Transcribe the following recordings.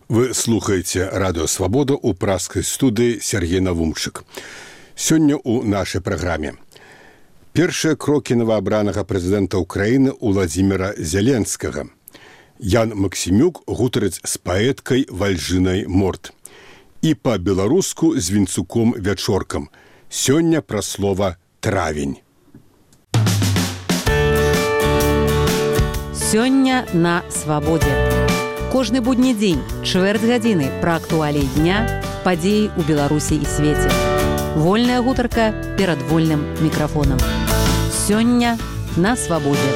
Вы слухаеце радыё «Свабода» ў пражскай студыі Сергей Навумчык. Сёння ў нашай праграме. Першыя крокі новаабранага прэзідэнта Ўкраіны Уладзіміра Зеленскага. Ян Максімюк гутарыць з паэткай Вальжынай Морт. І па-беларуску з Вінцуком Вячоркам. Сёння пра слова «травень». Сёння на «Свабодзе». Кожны будні дзень, чвэрць гадзіны пра актуаліі дня, падзеі ў Беларусі і свеце. Вольная гутарка перад вольным мікрафонам. Сёння на «Свабодзе».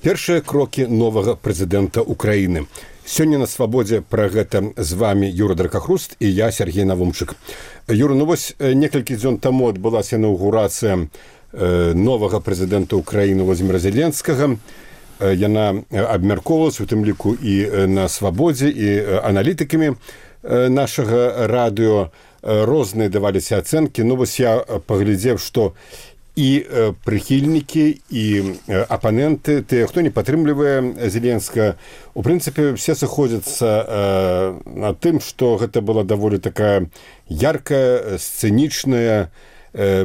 Першыя крокі новага прэзідэнта Ўкраіны. Сёння на «Свабодзе» пра гэта з вамі Юра Дракахруст і я, Сергей Навумчык. Юра, вось некалькі дзён таму адбылася інаўгурацыя новага прэзідэнта Ўкраіны Уладзіміра Зеленскага. Яна абмяркоўвалася, у тым ліку і на «Свабодзе», і аналітыкамі нашага радыё. Розныя даваліся ацэнкі. Вось я паглядзеў, што і прыхільнікі, і апаненты, тыя, хто не падтрымлівае Зеленскага, у прынцыпе, все сыходзяцца на тым, што гэта была даволі такая яркая, сцэнічная,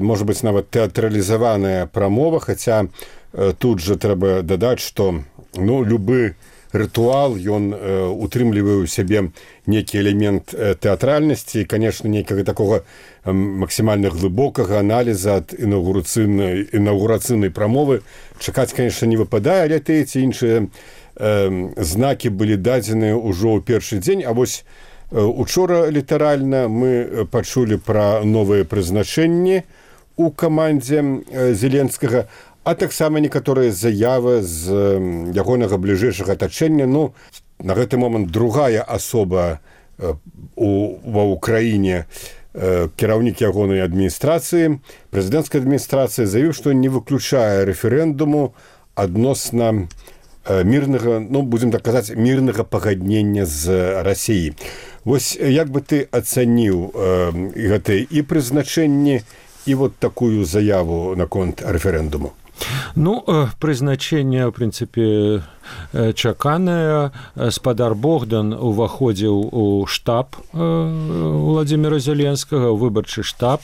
можа быць, нават тэатралізаваная прамова, хаця тут жа трэба дадаць, што любы рытуал, ён утрымлівае ў сябе нейкі элемент тэатральнасці і, канешне, нейкага такога максімальна глыбокага аналіза ад інаўгурацыйнай прамовы чакаць, канешне, не выпадае, але тыя ці іншыя знакі былі дадзеныя ўжо ў першы дзень. А вось учора літаральна мы пачулі пра новыя прызначэнні ў камандзе Зеленскага, а таксама некаторыя заявы з ягонага бліжэйшага атачэння. На гэты момант другая асоба ва ўкраіне, кіраўнік ягонай адміністрацыі, прэзідэнцкай адміністрацыі, заявіў, што не выключае рэферэндуму адносна мірнага, будзем так казаць, мірнага пагаднення з Расіяй. Вось як бы ты ацаніў гэтыя і прызначэнні, і вот такую заяву наконт рэферэндуму? Прызначэнне, ў прынцыпе, чаканае. Спадар Богдан уваходзіў у штаб Уладзіміра Зеленскага, у выбарчы штаб.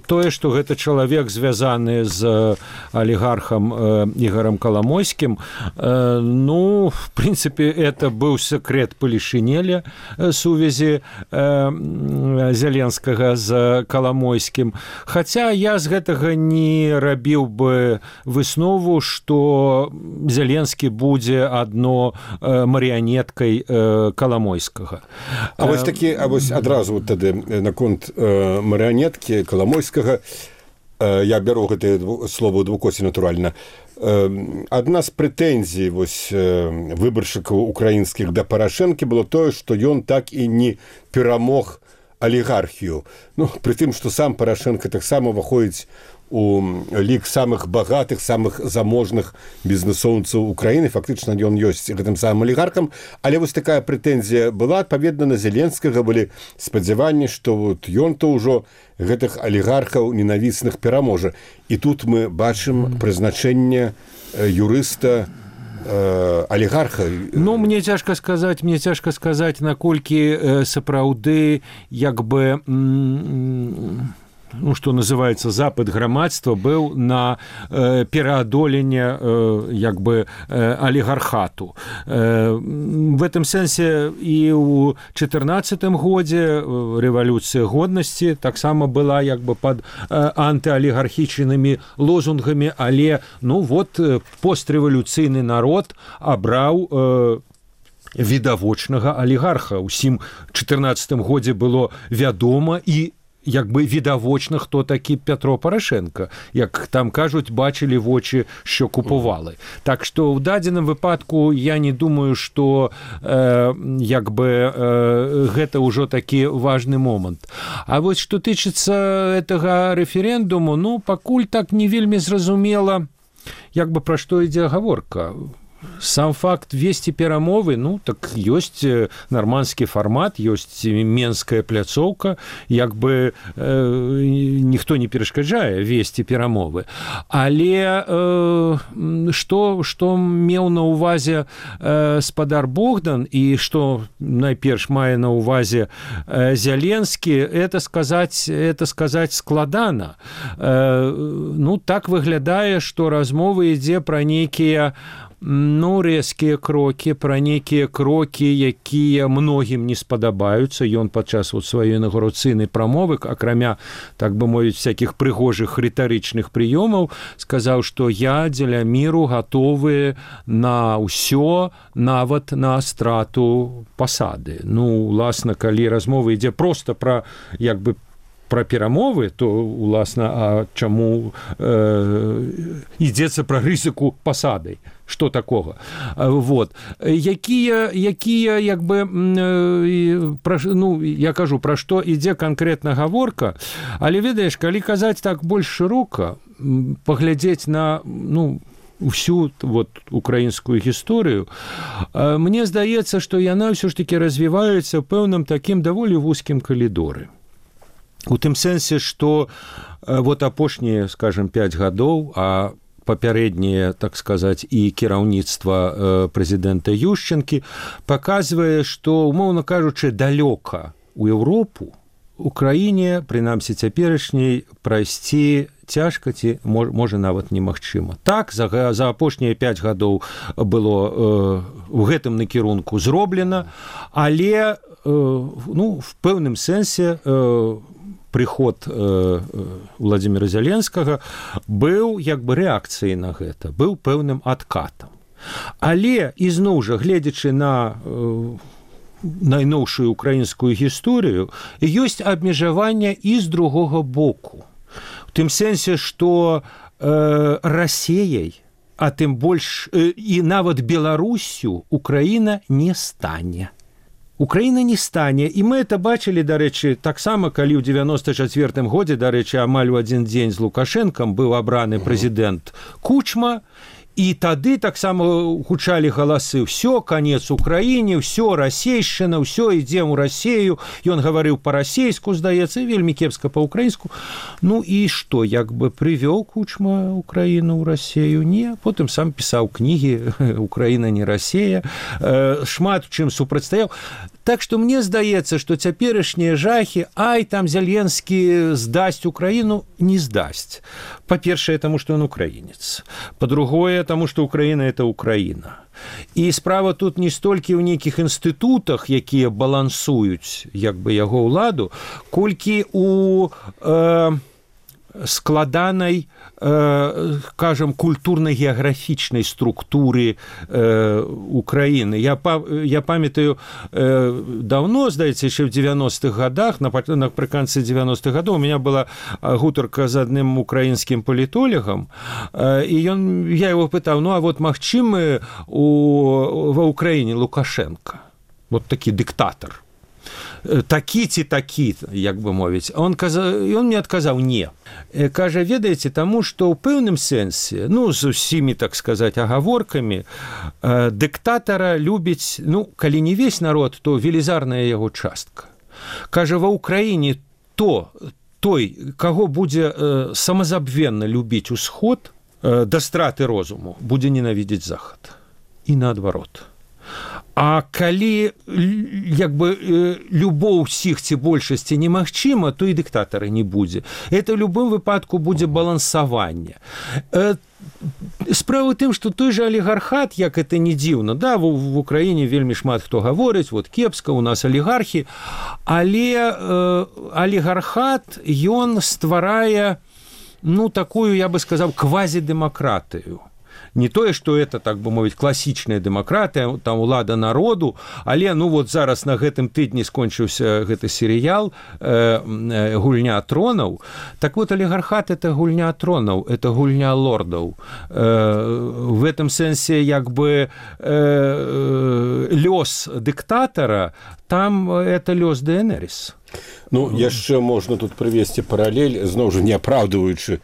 Тое, што гэта чалавек, звязаны з алігархам Ігарам Каламойскім, в прынцыпе, это быў секрет палішынеля сувязі Зеленскага з Каламойскім. Хаця я з гэтага не рабіў бы выснову, што Зеленскі будзе адно марыянеткай Каламойскага. А вось адразу тады наконт марыянеткі Каламойскага, я бяру гэтае слово двукосі натуральна. Адна з прэтэнзій выбаршчыкаў украінскіх да Парашэнкі было тое, што ён так і не перамог алігархію. Пры тым, што сам Парашэнка таксама ўваходзіць у лік самых багатых, самых заможных бізнесоўцаў Украіны. Фактычна ён ёсць гэтым самым алігархам. Але вось такая прэтэнзія была. Адпаведна, на Зеленскага былі спадзяванні, што ён-то ўжо гэтых алігархаў ненавісных пераможа. І тут мы бачым прызначэнне юрыста алігарха. Мне цяжка сказаць, наколькі сапраўды як бы што называецца запыт грамадства быў на пераадоленне алігархату. В этом сэнсе і ў 14-м годзе рэвалюцыя годнасці таксама была пад антыалігархічнымі лозунгамі, але пострэвалюцыйны народ абраў відавочнага алігарха. Усім 14-м годзе было вядома і відавочна, хто такі Пятро Парашенко. Як там кажуць, бачылі вочы, що купували. Так што ў дадзеным выпадку я не думаю, што гэта ўжо такі важны момант. А вось што тычыцца гэтага рэферэндуму, пакуль так не вельмі зразумела, пра што ідзе гаворка. сам факт весці перамовы, ну, так ёсць нарманскі фармат, ёсць менская пляцоўка, як бы ніхто не перашкаджае весці перамовы. Але што меў на ўвазе спадар Богдан і што найперш мае на ўвазе Зеленскі, это сказаць складана. Ну, так выглядае, што размова ідзе пра нейкія рэзкія крокі, пра нейкія крокі, якія многім не спадабаюцца. Ён падчас сваёй інаўгурацыйнай прамовы, акрамя, так бы мовіць, всякіх прыгожых рытарычных прыёмаў, сказаў, што я дзеля міру гатовы на ўсё, нават на страту пасады. Ну, уласна, калі размова ідзе проста пра, як бы, пра перамовы, то, уласна, а чаму ідзецца пра рызыку пасадай? Што такога? Вот. Якія, як бы, ну, я кажу, пра што ідзе канкрэтна гаворка, але, ведаеш, калі казаць так больш шырока, паглядзець на, ну, всю вот украінскую гісторыю, мне здаецца, што яна ўсё ж такі развіваецца ў пэўным такім даволі вузкім калідоры. У тым сэнсе, што вот апошнія, скажем, 5 гадоў, а папярэднія, так сказаць, і кіраўніцтва прэзідэнта Ющенкі паказвае, што, умоўна кажучы, далёка у Еўропу Украіне, прынамсі цяперашняй, прайсці цяжка ці можа нават немагчыма. Так, за апошнія 5 гадоў было ў гэтым накірунку зроблена, але, ну, в пэўным сэнсе прыход Владзіміра Зеленскага быў як бы рэакцыяй на гэта, быў пэўным адкатам. Але, ізноў жа, гледзячы на найноўшую украінскую гісторыю, ёсць абмежавання і з другога боку. У тым сэнсе, што Расіяй, а тым больш і нават Беларусю Украіна не стане. Украіна не стане, і мы это бачылі, дарэчы, таксама, калі ў 94-м годзе, дарэчы, амаль у адзін дзень з Лукашэнкам быў абраны прэзідэнт Кучма, і тады таксама гучалі галасы: «Всё, канец Украіне, всё, расейшчына, всё, ідзем у Расею». Ён гаварыў па-расейску, здаецца, вельмі кепска па-украінску. Ну і што, як бы прывёў Кучма Украіну ў Расею? Не. Потым сам пісаў кнігі «Украіна не Расея», шмат чым супрацьстаяў. Так што мне здаецца, што цяперашнія жахі, ай, там Зеленскі здасць Украіну, не здасць. Па-першае, таму што ён украінец. Па-другое, таму што Украіна – это Украіна. І справа тут не столькі ў нейкіх інстытутах, якія балансуюць, як бы, яго ўладу, колькі у складанай, кажам, культурна-геаграфічнай структуры Украіны. Я памятаю, давно, здаецца, яшчэ ў 90-х гадах, напрыканцы 90-х гадоў, у меня была гутарка з адным украінскім палітолагам, і я яго пытаў: ну, а вот магчымы ва Ўкраіне Лукашенко? Вот такі дыктатар. Такі ці такі, як бы мовіць. Ён мне адказаў: не. Кажа, ведаеце, таму што ў пэўным сэнсе, ну, з усімі, так сказаць, агаворкамі, дыктатара любіць, ну, калі не весь народ, то велізарная яго частка. Кажа, ва Ўкраіне той, каго будзе самазабвенна любіць усход, да страты розуму, будзе ненавідзець захад. І наадварот. А калі, як бы, любоў усіх ці большасці немагчыма, то і дыктатара не будзе. Это ў любым выпадку будзе балансаванне. Справа ў тым, што той жа алігархат, як это не дзіўна, да, в Украіне вельмі шмат хто гаворыць, вот кепска, у нас алігархі, але алігархат, ён стварае, ну, такую, я бы сказаў, квазідэмакратыю. Не тое, што это, так бы мовіць, класічная дэмакратыя, там улада народу, але, ну, вот зараз на гэтым тыдні скончыўся гэты серыял «Гульня тронаў». Так вот, алігархат – это гульня тронаў, это гульня лордаў. В этом сэнсе, як бы, лёс дыктатара, там это лёс Дээнэрыс. Ну, яшчэ можна тут прывесці паралель, зноў жа, не апраўдваючы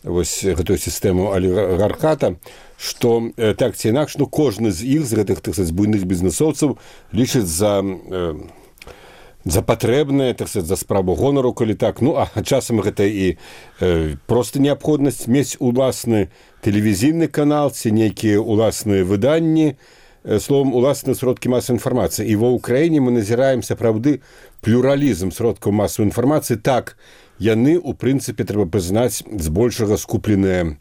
вось гэтую сістэму алігархата, што так ці інакш, кожны з іх, з гэтых, так сказаць, буйных бізнесоўцаў лічыць за патрэбнае, так сказаць, за справу гонару, калі так. А часам гэта і проста неабходнасць мець уласны тэлевізійны канал ці нейкія уласныя выданні, словом, уласныя сродкі масавай інфармацыі. І ва ўкраіне мы назіраем сапраўды плюралізм сродкаў масавай інфармацыі. Так, яны, у прынцыпе, трэба прызнаць, збольшага скупленыя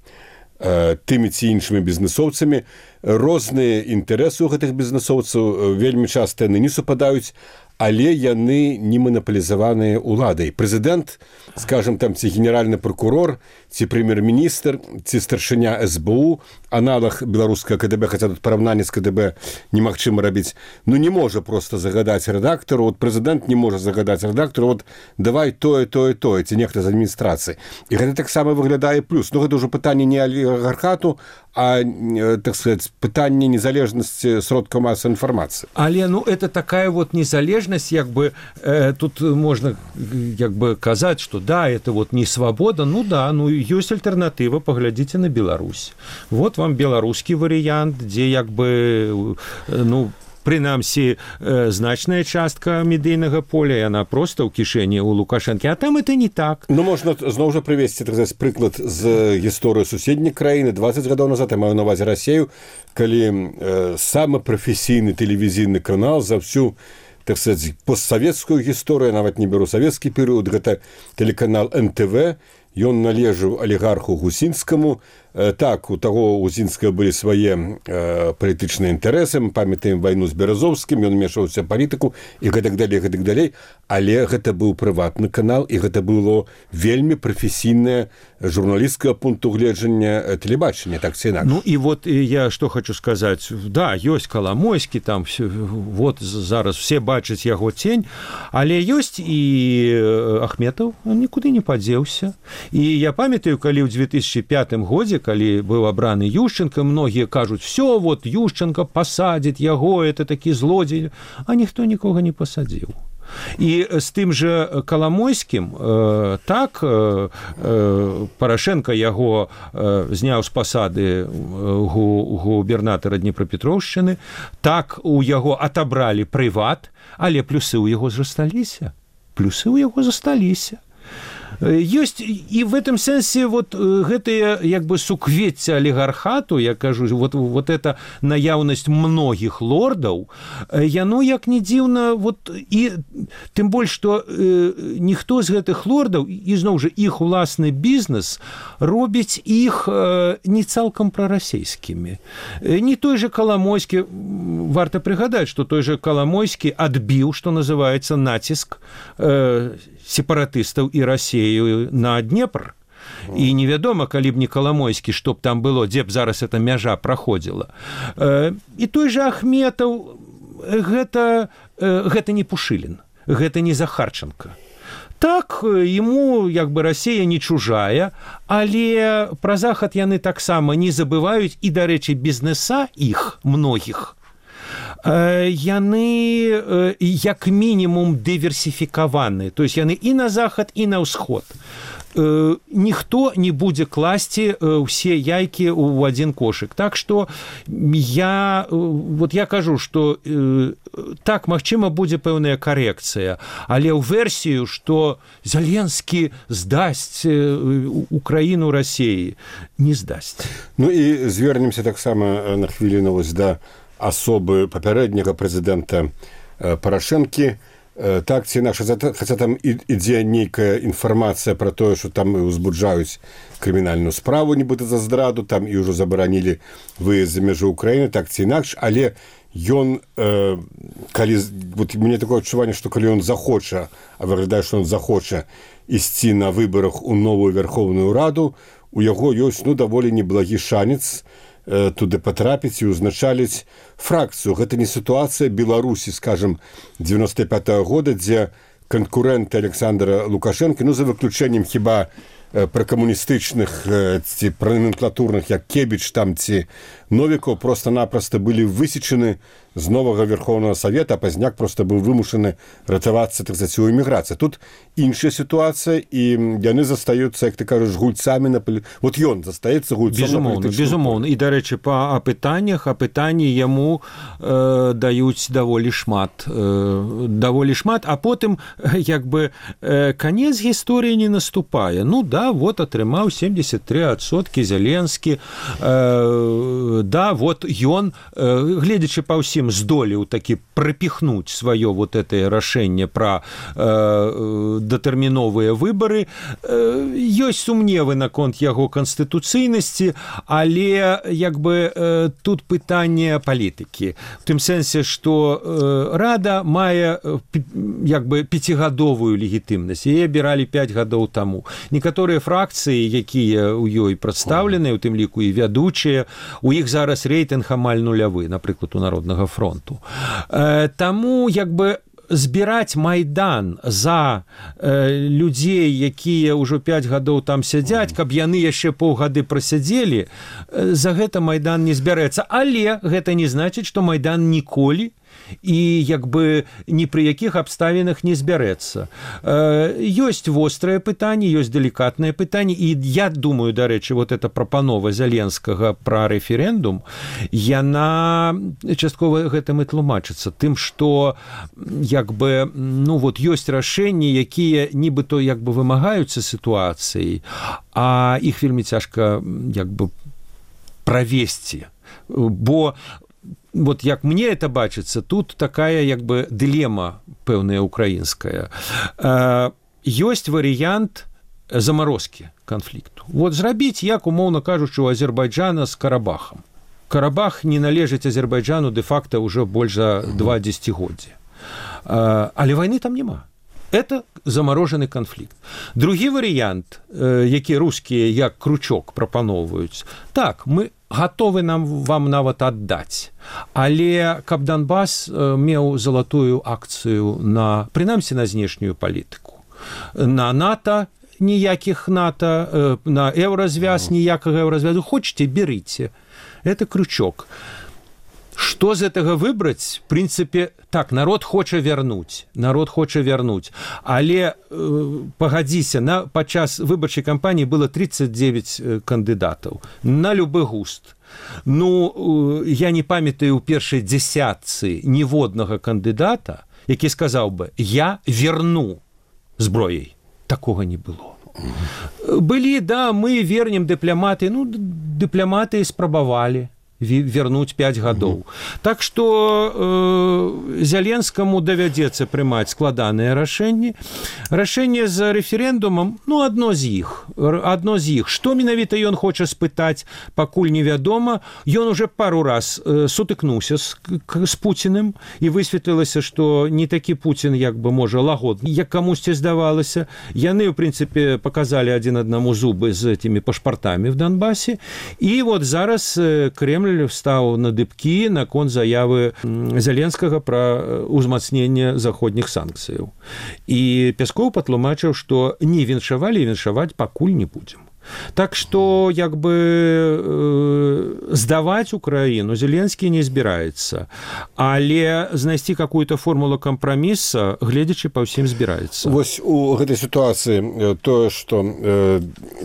тымі ці іншымі бізнесоўцамі. Розныя інтарэсы ў гэтых бізнесоўцаў вельмі часта яны не супадаюць, але яны не манапалізаваныя ўладай. Прэзідэнт, скажем, там, ці генеральны прокурор, ці прэм'ер-міністр, ці старшыня СБУ, аналаг беларускага КДБ, хаця тут параўнанне з КДБ немагчыма рабіць, не можа проста загадаць рэдактару, прэзідэнт не можа загадаць рэдактару, давай тое, ці нехта з адміністрацыі. І гэта таксама выглядае плюс. Гэта ўжо пытанне не алігархату, а, так сказать, пытанне незалежнасці сродкаў масавай інфармацыі. Але, это такая незалежнасць, тут можна казаць, што это не свабода, ёсць альтэрнатыва, паглядзіце на Беларусь. Вот вам беларускі варыянт, дзе прынамсі, значная частка медыйнага поля, яна проста ў кішэні ў Лукашэнкі, а там это не так. Можна зноў жа прывесці, так сказаць, прыклад з гісторыі суседняй краіны. 20 гадоў назад, я маю на ўвазе Расею, калі самы прафесійны тэлевізійны канал за всю, так сказаць, постсавецкую гісторыю, нават не беру савецкі перыяд, гэта тэлеканал НТВ, ён належаў алігарху Гусінскаму. Так, у таго Гусінскага былі свае палітычныя інтарэсы, мы памятаем вайну з Беразовскім, ён мешаўся палітыку і гэтак далей, але гэта быў прыватны канал, і гэта было вельмі прафесійнае журналісцкага пункту гледжання тэлебачання, так ці інакш. І я што хочу сказаць, ёсць Каламойскі, там зараз все бачаць яго цень, але ёсць і Ахметаў, он нікуды не падзеўся. І я памятаю, калі ў 2005 годзе, калі быў абраны Ющенко, многія кажуць, все, Ющенко пасадзіць яго, это такі злодзей, а ніхто нікога не пасадзіў. І з тым жа Каламойскім, так, Парашенко яго зняў з пасады губернатара Днепрапетроўшчыны, так, у яго атабралі прыват, але плюсы ў яго засталіся. Ёсць і в этом сэнсе гэтыя суквецце алігархату, я кажу, эта наяўнасць многіх лордаў, яно як не дзіўна, і тым больш, што ніхто з гэтых лордаў, і зноў жа іх уласны бізнес робіць іх не цалкам прарасейскімі. Не той же Каламойскі, варта прыгадаць, што той же Каламойскі адбіў, што называецца, націск сепаратыстаў і Расею на Днепр. І невядома, калі б не Каламойскі, што б там было, дзе б зараз эта мяжа праходзіла. І той же Ахметаў, гэта не Пушылін, гэта не Захарченко. Так, ему Расея не чужая, але пра Захад яны таксама не забываюць, і, дарэчы, бізнеса іх, многіх, яны як мінімум дыверсіфікаваны, то есть яны і на захад, і на ўсход. Ніхто не будзе класці ўсе яйкі ў адзін кошык. Так што я кажу, што так, магчыма, будзе пэўная карэкцыя, але ў версію, што Зеленскі здасць Украіну Расеі, не здасць. І звернемся таксама на хвіліну да асобы папярэдняга прэзідэнта Парашэнкі. Так ці інакш, хаця там ідзе нейкая інфармацыя пра тое, што там узбуджаюць крымінальную справу, нібыта за здраду, там і ўжо забаранілі выезд за мяжу Украіны, так ці інакш, але ён, калі, мне такое адчуванне, што калі ён захоча, а выглядае, што ён захоча ісці на выбарах у новую Верховную Раду, у яго ёсць, даволі неблагі шанец туды патрапіць і ўзначаліць фракцыю. Гэта не сітуацыя Беларусі, скажем, 95-го года, дзе канкурэнты Александра Лукашэнкі, за выключэннем хіба пракамуністычных ці праноменклатурных, як Кебіч там ці Новікаў, проста-напроста былі высечаны з новага Верховнага Савета, а пазняк просто быў вымушаны ратавацца, так сказать, у эміграцыі. Тут іншая сітуацыя, і яны застаюцца, як ты кажаш, гульцамі на полі... Вот ён застаецца гульцом на палітычную. Безумоўна. І, дарэчы, па апытаннях, апытанні яму даюць даволі шмат, а потым, як бы, канец гісторыі не наступае. Ну, да, вот атрымаў 73% Зеленскі, да, вот ён, гледзячы па ўсім, здолеў такі прапіхнуць сваё вот это рашэнне пра датэрміновыя выбары. Ёсць сумневы наконт яго канстытуцыйнасці, але як бы тут пытанне палітыкі. В тым сэнсе, што Рада мае як бы 5гадовую легітымнасць. Яе абіралі 5 гадоў таму. Некаторыя фракцыі, якія ў ёй прадстаўленыя, у тым ліку і вядучыя, у іх зараз рэйтынг амаль нулявы, напрыклад, у Народнага фронту. Таму як бы збіраць Майдан за людзей, якія ўжо 5 гадоў там сядзяць, каб яны яшчэ паўгады прасядзелі, за гэта Майдан не збярэцца. Але гэта не значыць, што Майдан ніколі і як бы ні пры якіх абставінах не збярэцца. Ёсць вострае пытанне, ёсць далікатнае пытанне, і я думаю, дарэчы, вот эта прапанова Зеленскага пра рэферэндум, яна часткова гэтым і тлумачыцца, тым, што як бы, ну вот ёсць рашэнні, якія нібыто як бы вымагаюцца сітуацыяй, а іх вельмі цяжка як бы правесці, бо вот як мне это бачыцца, тут такая як бы дылема пэўная украінская. Ёсць варыянт замарозкі канфлікту. Вот зрабіць, як умоўна кажучы, у Азербайджана з Карабахам. Карабах не належыць Азербайджану дэ-факта ўжо больш за 2 дзесяцігоддзі. Але вайны там няма. Это замарожаны канфлікт. Другі варыянт, які рускія як кручок прапаноўваюць, так, мы гатовы вам нават аддаць. Але каб Донбас меў залатую акцыю на, прынамсі, на знешнюю палітыку. На НАТО ніякіх НАТО, на еўразвяз ніякага еўразвязу. Хочаце, берыце. Это крючок. Што з гэтага выбраць? В прынцыпе, так, народ хоча вярнуць, але пагадзіся, падчас выбарчай кампаніі было 39 кандыдатаў на любы густ. Ну, я не памятаю ў першай дзесятцы ніводнага кандыдата, які сказаў бы, я верну зброяй. Такога не было. Былі, да, мы вернем дыпламаты, ну, дыпламаты спрабавалі вернуць 5 гадоў. Так што Зеленскаму давядзецца прымаць складаныя рашэнні. Рашэнне з рэферэндумам, ну, адно з іх. Што менавіта ён хоча спытаць, пакуль невядома. Ён уже пару раз сутыкнуўся з Пуціным, і высветлілася, што не такі Пуцін, як бы, можа, лагодны, як камусьці здавалася. Яны, у прынцыпе, паказалі адзін аднаму зубы з этімі пашпартамі в Донбасе. І вот зараз Кремль встаў на дыбкі наконт заявы Зеленскага пра ўзмацненне заходніх санкцыяў. І Пяскоў патлумачыў, што не віншавалі і віншаваць пакуль не будзем. Так што, як бы, здаваць Украіну Зеленскі не збіраецца, але знайсці какую-то формулу кампраміса, гледзячы па ўсім, збіраецца. Вось у гэтай сітуацыі тое, што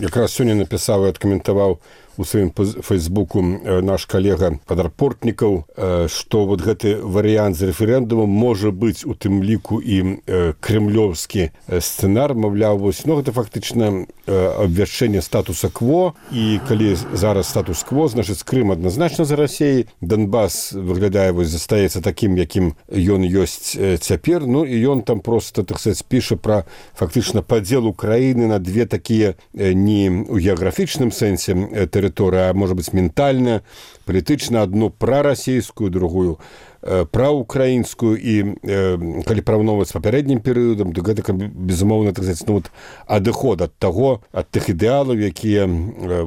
якраз сёння напісаў і адкаментаваў у сваім фейсбуку наш калега Падарпортнікаў, што вот гэты варыянт з рэферэндумам можа быць у тым ліку і кремлёвскі сцэнар, маўляў, вось, ну, гэта фактычна абвяшчэнне статуса кво, і калі зараз статус-кво, значыць, Крым адназначна за Расіяй, Донбас выглядае, вось, застаецца такім, якім ён ёсць цяпер, ну, і ён там просто, так сказать, піша пра фактычна падзел Украіны на две такія не ў геаграфічным сэнсе тэрыторыя, а можа быць ментальная, палітычна, адну прарасійскую, другую праўкраінскую, і калі параўноўваць з папярэднім перыядам, то гэта, безумоўна, так сказаць, ну, вот, адыход ад таго, ад тых ідэалаў, якія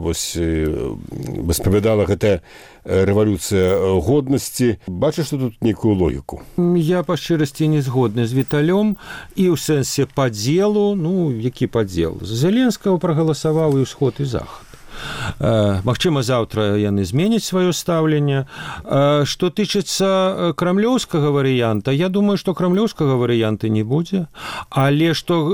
вось воспавядала гэтая рэвалюцыя годнасці. Бачыш, што тут нейкую логіку? Я па шчырасці не згодны з Віталём, і ў сэнсе падзелу, ну, які падзел? Зеленскага прагаласаваў і ўсход, і захад. Магчыма, заўтра яны зменяць сваё стаўленне. Што тычыцца крамлёўскага варыянта, я думаю, што крамлёўскага варыянта не будзе, але што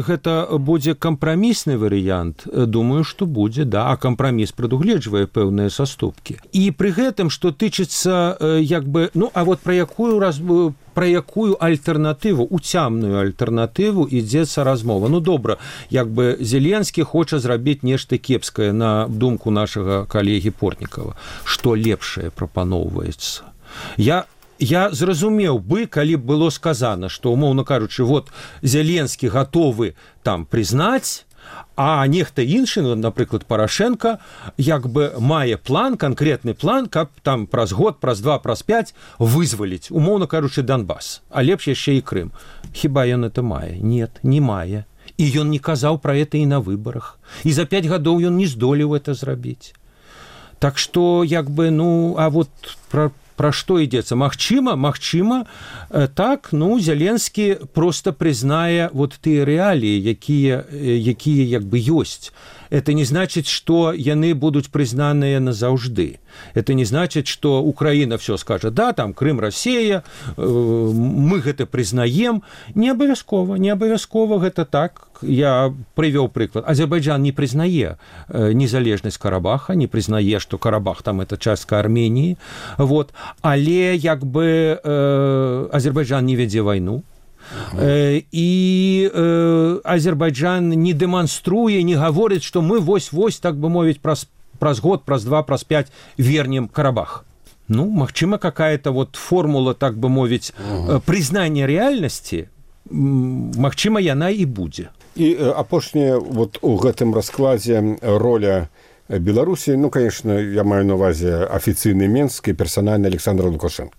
гэта будзе кампрамісны варыянт, думаю, што будзе, да, а кампраміс прадугледжвае пэўныя саступкі. І пры гэтым, што тычыцца як бы, ну, а вот пра якую альтэрнатыву, уцямную альтэрнатыву ідзецца размова. Ну, добра, як бы Зеленскі хоча зрабіць нешта кепскае на думку нашага калегі Портнікава. Што лепшае прапаноўваецца? Я зразумеў бы, калі б было сказана, што, умоўна кажучы, вот Зеленскі гатовы там прызнаць, а нехта іншы, напрыклад, Парашенко, як бы мае план, канкрэтны план, каб там праз год, праз 2, праз 5 вызваліць, умоўна кажучы, Донбас, а лепш яшчэ і Крым. Хіба ён это мае? Нет, не мае. І ён не казаў пра это і на выбарах. І за 5 гадоў ён не здолеў это зрабіць. Так што, як бы, ну, а вот пра што ідзецца? Магчыма, так, ну, Зеленскі проста прызнае вот тыя рэаліі, якія як бы ёсць. Это не значит, что яны будуць прызнаныя назаўжды. Это не значит, что Украина все скажет, да, там Крым, Россия, мы гэта прызнаем. Не абавязкова гэта так. Я прывёў прыклад. Азербайджан не прызнае незалежнасць Карабаха, не прызнае, что Карабах там это частка Армении. Вот. Але як бы Азербайджан не вядзе вайну. І Азербайджан не дэманструе, не гаворыць, што мы вось, так бы мовіць, праз год, праз 2, праз 5 вернем Карабах. Ну, магчыма, какая-то вот формула, так бы мовіць, прызнання рэальнасці, магчыма, яна і будзе. І апошняе, вот у гэтым раскладзе роля Беларусі, ну, конечно, я маю на увазе афіцыйны Менск і персанальны Александр Лукашенко.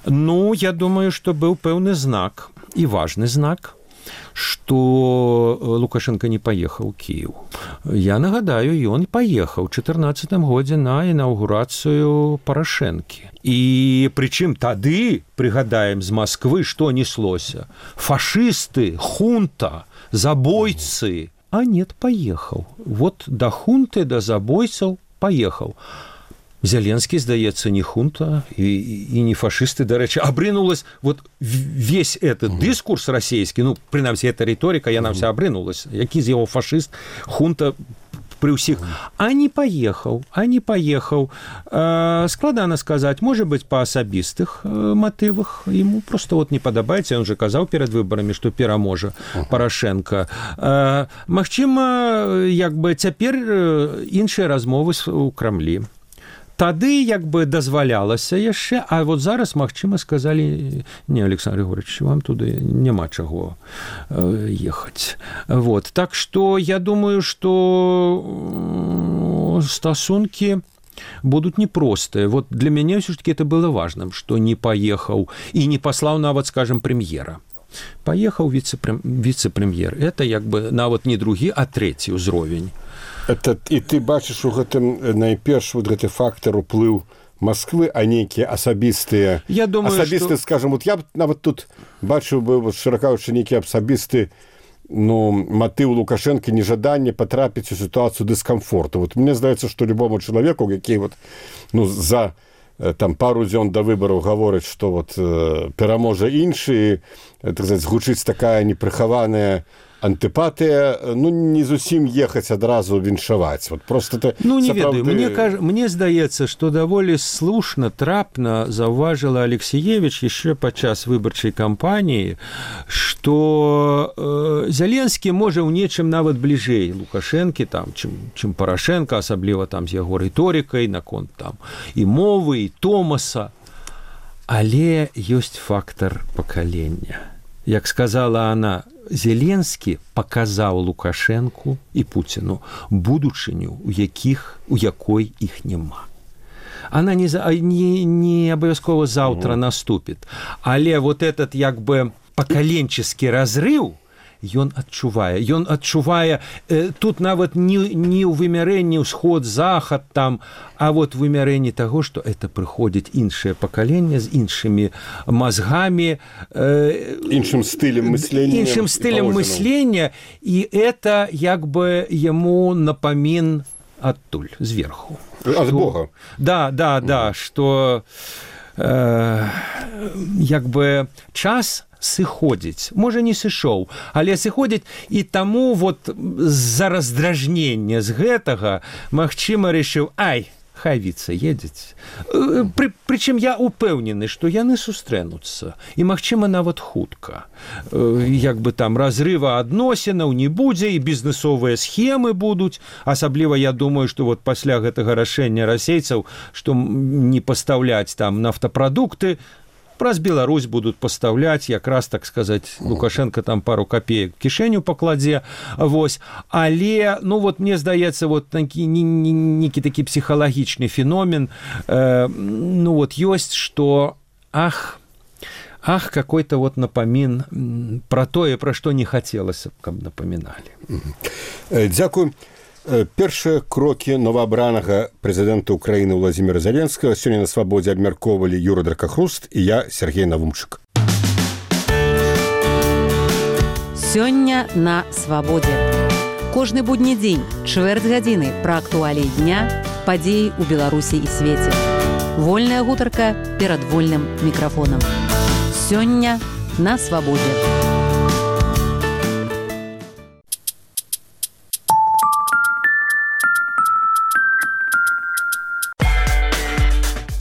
Ну, я думаю, што быў пэўны знак, і важны знак, што Лукашенко не паехаў у Кіеў. Я нагадаю, ён паехаў у 2014 годзе на інаўгурацыю Парашэнкі. І прычым тады, прыгадаем, з Масквы што неслося? Фашысты, хунта, забойцы. А нет, паехаў. Вот да хунты, да забойцаў паехаў. Зеленскі, здаецца, не хунта і не фашысты, дарэчы, абрынулась вот весь этот дыскурс расійскі, ну, прынамсі, эта рыторыка, яна вся абрынулась. Які з яго фашыст, хунта пры ўсіх. А не паехаў. Складана сказаць, можа быць, па асабістых матывах. Ему просто вот не падабаецца, ён же казаў перад выбарамі, што пераможа Парашенко. Магчыма, як бы цяпер іншыя размовы у Крамлі. Тады як бы дазвалялася яшчэ, а вот зараз, магчыма, сказалі, не, Александр Григорьевич, вам туды няма чаго ехаць. Вот. Так што я думаю, што стасункі будуць непростыя. Вот для мяне ўсё-таки это было важным, што не паехаў і не паслаў нават, скажем, прэм'ера. Паехаў віцэ-прэм'ер. Это як бы нават не другі, а трэці ўзровень. І ты бачыш у гэтым найперш вот гэты фактар уплыў Масквы, а нейкія асабістыя, скажем, вот я б нават тут бачыў бы, шыракаючы, нейкі асабісты, ну, матыў Лукашенко, нежаданне патрапіць у сітуацыю дыскамфорту. Вот мне здаецца, што любому чалавеку, які вот, ну, за там пару дзён да выбараў гаворыць, што вот пераможа іншы, так сказаць, гучыць такая непрыхаваная антыпатыя, ну, не зусім ехаць адразу віншаваць. Вот просто это, ну, не ведаю. Мне здаецца, што даволі слушна, трапна заўважыла Алексеевич яшчэ падчас выбарчай кампаніі, што Зеленскі можа ў нечым нават бліжэй Лукашэнкі, там, чым Парашенко, асабліва там з яго рыторыкай, наконт там і мовы, і Томаса. Але ёсць фактар пакалення. Як сказала она, Зеленскі паказаў Лукашэнку і Пуціну будучыню, у якой іх няма. Она не абавязкова заўтра наступіць. Але вот этот як бы пакаленческі разрыв ён адчувае тут нават не ў вымярэнні ўсход-захад там, а вот вымярэнні таго, што это прыходзіць іншае пакаленне з іншымі мазгамі, іншым стылем мыслення, і это як бы яму напамін адтуль зверху ад Бога. Да, што як бы час сыходзіць, можа не сышоў, але сыходзіць, і таму вот з-за раздражнення з гэтага магчыма рашыў, хай віца едзець. Прычым я упэўнены, што яны сустрэнуцца, і магчыма нават хутка. Як бы там разрыва адносінаў не будзе, і бізнесовыя схемы будуць, асабліва я думаю, што вот пасля гэтага рашэння расейцаў, што не пастаўляць там нафтапрадукты, праз Беларусь будуць пастаўляць, якраз, так сказаць, Лукашенко там пару копеек кішэню пакладзе, вось. Але, ну вот, мне здаецца, вот некі такі псіхалагічны феномен, ну вот, ёсць, што, какой-то вот напамін пра тое, пра што не хацелася, каб напаміналі. Дзякуй. Першыя крокі новаабранага прэзідэнта Украіны Владзіміра Зеленскага сёння на свабодзе абмяркоўвалі Юра Дракахруст і я, Сергей Навумчык. Сёння на свабодзе. Кожны будні дзень, чвэрць гадзіны пра актуаліі дня, падзеі ў Беларусі і свеце. Вольная гутарка перад вольным мікрафонам. Сёння на свабодзе.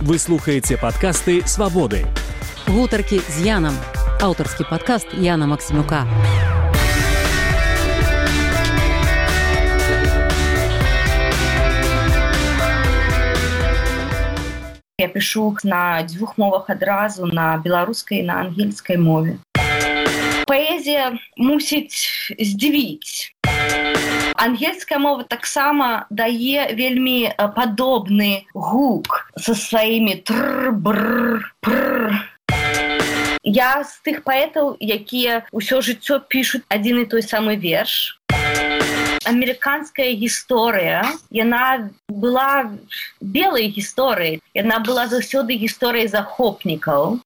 Вы слухаете подкасты «Свободы». Гутаркі з Янам. Аўтарскі падкаст Яна Максімюка. Я пишу на двух мовах адразу, на беларускай і на ангельскай мове. Паэзія мусіць здзівіць. Ангельская мова таксама дае вельмі падобны гук со сваімі тр-бр-пр. Я з тых паэтаў, якія ўсё жыццё пішуць адзін і той самы верш. Амерыканская гісторыя, яна была белай гісторыяй, яна была заўсёды гісторыяй захопнікаў.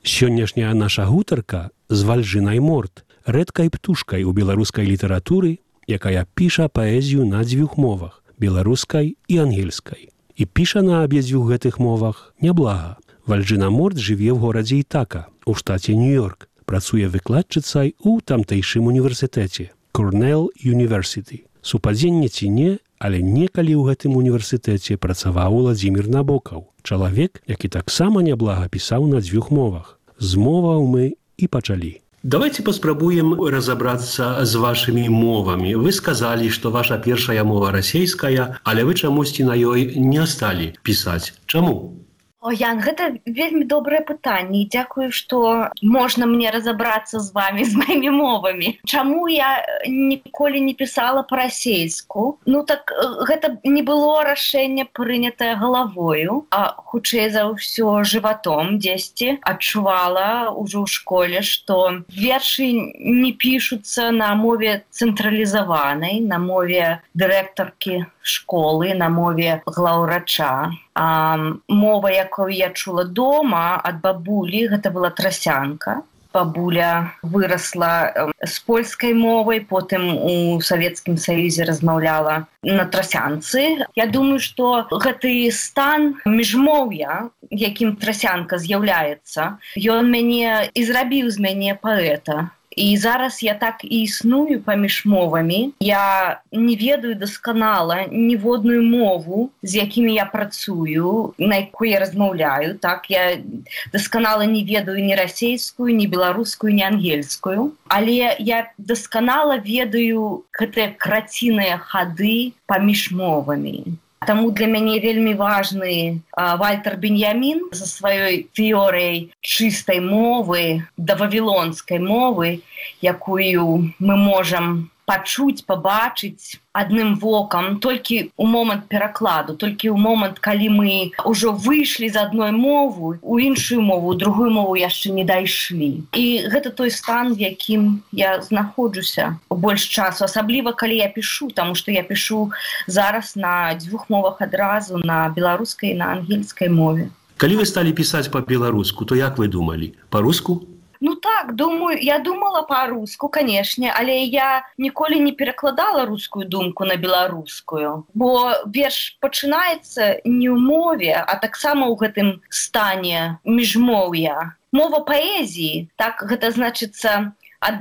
Сённяшняя наша гутарка з Вальжынай Морт, рэдкай птушкай у беларускай літаратуры, якая піша паэзію на дзвюх мовах, беларускай і ангельскай. І піша на абедзвюх гэтых мовах няблага. Вальжына Морт жыве ў горадзе Ітака, у штаце Нью-Йорк, працуе выкладчыцай у тамтэйшым універсітэце, Корнелл Юніверсіті. Супадзенне ці не, але некалі ў гэтым універсітэце працаваў Владзімір Набокаў, чалавек, які таксама няблага пісаў на дзвюх мовах. З моваў мы і пачалі. Давайте паспрабуем разобрацца з вашымі мовамі. Вы сказалі, што ваша першая мова расейская, але вы чамусьці на ёй не сталі пісаць. Чаму? О, Ян, гэта вельмі добрае пытанне. Дзякую, што можна мне разабрацца з вамі, з маімі мовамі. Чаму я ніколі не пісала па-расейску? Ну так, гэта не было рашэнне прынятае галавою, а хутчэй за ўсё жыватом дзесьці адчувала ўжо ў школе, што вершы не пішуцца на мове цэнтралізаванай, на мове дырэктаркі школы, на мове глаўврача. Мова, якую я чула дома ад бабулі, гэта была трасянка. Бабуля вырасла з польскай мовай, потым у Савецкім Саюзе размаўляла на трасянцы. Я думаю, што гэты стан міжмоўя, якім трасянка з'яўляецца, ён мяне і зрабіў з мяне паэта. І зараз я так і існую паміж мовамі. Я не ведаю дасканала ніводную мову, з якімі я працую, на якой я размаўляю. Так, я дасканала не ведаю ні расейскую, ні беларускую, ні ангельскую. Але я дасканала ведаю гэтыя краціныя хады паміж мовамі. Таму для мяне вельмі важны Вальтер Беньямін за сваёй тэорыяй чыстай мовы, да вавілонскай мовы, якую мы можам пачуць, пабачыць адным вокам толькі ў момант перакладу, толькі ў момант, калі мы ўжо выйшлі з адной мовы ў іншую мову, ў другую мову яшчэ не дайшлі. І гэта той стан, в якім я знаходжуся больш часу, асабліва калі я пішу, таму што я пішу зараз на дзвюх мовах адразу, на беларускай і на ангельскай мове. Калі вы сталі пісаць па-беларуску, то як вы думалі? Па-руску? Ну так, я думала па-руску, канешне, але я ніколі не перакладала рускую думку на беларускую. Бо верш пачынаецца не ў мове, а таксама ў гэтым стане міжмоўя. Мова паэзіі, так гэта значыцца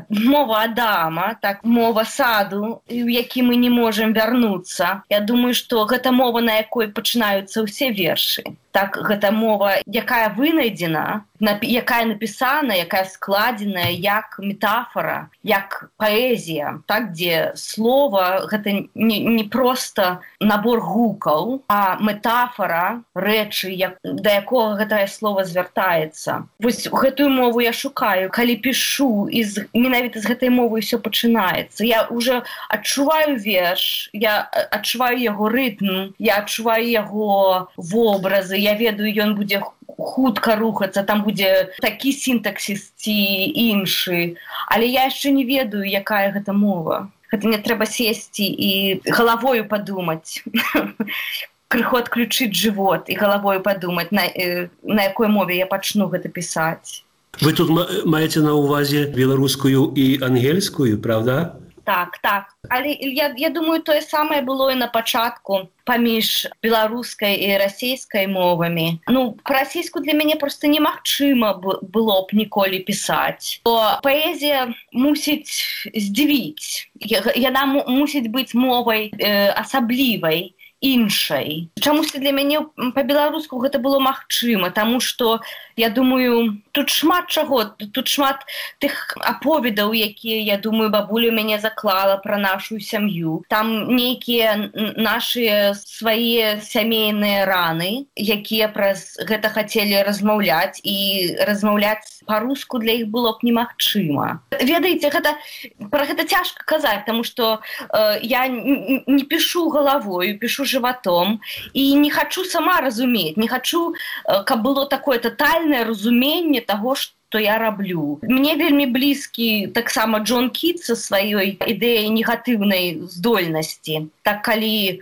мова Адама, так, мова саду, у які мы не можам вярнуцца. Я думаю, што гэта мова, на якой пачынаюцца ўсе вершы. Так, гэта мова, якая вынайдзена, якая напісана, якая складзеная як метафора, як паэзія, так, дзе слова гэта не проста набор гукаў, а метафора рэчы, да якога гэтае слово звяртаецца. Вось гэтую мову я шукаю, калі пішу, і менавіта з гэтай мовы ўсё пачынаецца. Я ўжо адчуваю верш, я адчуваю яго рытм, я адчуваю яго вобразы, я ведаю, ён будзе хутка рухацца, там будзе такі сінтаксіс ці іншы. Але я яшчэ не ведаю, якая гэта мова. Гэта не трэба сесці і галавою падумаць. Крыху адключыць жывот і галавою падумаць, на якой мове я пачну гэта пісаць. Вы тут маеце на ўвазе беларускую і ангельскую, правда? Так. Але я думаю, тое самае было і на пачатку паміж беларускай і расейскай мовамі. Ну, па-расейску для мяне проста немагчыма было б ніколі пісаць. Бо паэзія мусіць здзівіць. Яна мусіць быць мовай асаблівай, іншай. Чамусьці для мяне па-беларуску гэта было магчыма, таму што, я думаю, тут шмат чаго, тут шмат тых аповедаў, якія, я думаю, бабуля мяне заклала пра нашу сям'ю. Там нейкія нашыя свае сямейныя раны, якія праз гэта хацелі размаўляць, і размаўляць па-руску для іх было б немагчыма. Ведаеце, пра гэта цяжка казаць, таму што я не пішу галавою, пішу жыватом, і не хачу сама разумець, не хачу, каб было такое тотальнае разуменне таго, што я раблю. Мне вельмі блізкі таксама Джон Кіт са сваёй ідэяй негатыўнай здольнасці. Так, калі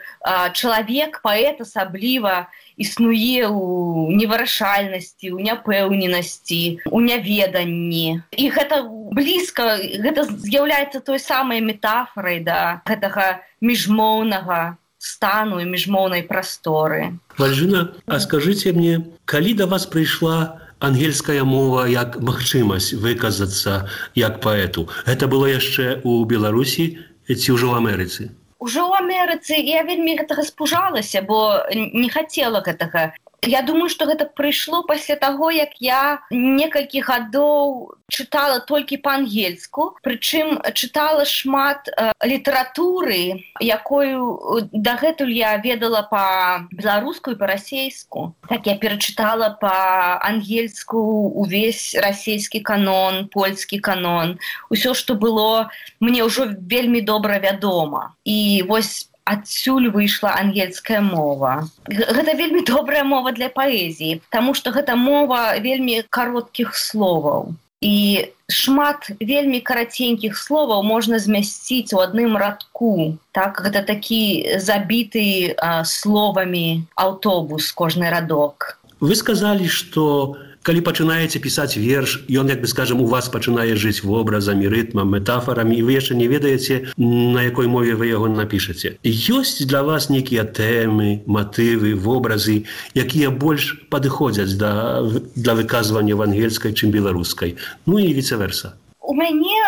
чалавек, паэт асабліва, існуе ў невырашальнасці, ў няпэўненасці, у няведанні. І гэта блізка, гэта з'яўляецца той самай метафорай да гэтага міжмоўнага стану і міжмоўнай прасторы. Вальжына, а скажыце мне, калі да вас прыйшла ангельская мова як магчымасць выказацца як паэту? Гэта было яшчэ ў Беларусі ці ўжо ў Амерыцы? Ужо ў Амерыцы я вельмі гэтага спужалася, бо не хацела гэтага. Я думаю, што гэта прыйшло пасля таго, як я некалькі гадоў чытала толькі па-ангельску, прычым чытала шмат літаратуры, якую дагэтуль я ведала па-беларуску і па-расейску. Так, я перачытала па-ангельску увесь расейскі канон, польскі канон, усё, што было мне ўжо вельмі добра вядома. І вось адсюль выйшла ангельская мова. Гэта вельмі добрая мова для паэзіі, таму што гэта мова вельмі кароткіх словаў. І шмат вельмі караценькіх словаў можна змясціць у адным радку. Так, гэта такі забіты словамі аўтобус, кожны радок. Вы сказалі, што калі пачынаеце пісаць верш, ён, як бы скажам, у вас пачынае жыць вобразамі, рытмам, метафорамі, і вы яшчэ не ведаеце, на якой мове вы яго напішаце. Ёсць для вас нейкія тэмы, матывы, вобразы, якія больш падыходзяць для выказвання в ангельскай, чым беларускай? Ну і віцэ-верса. У мяне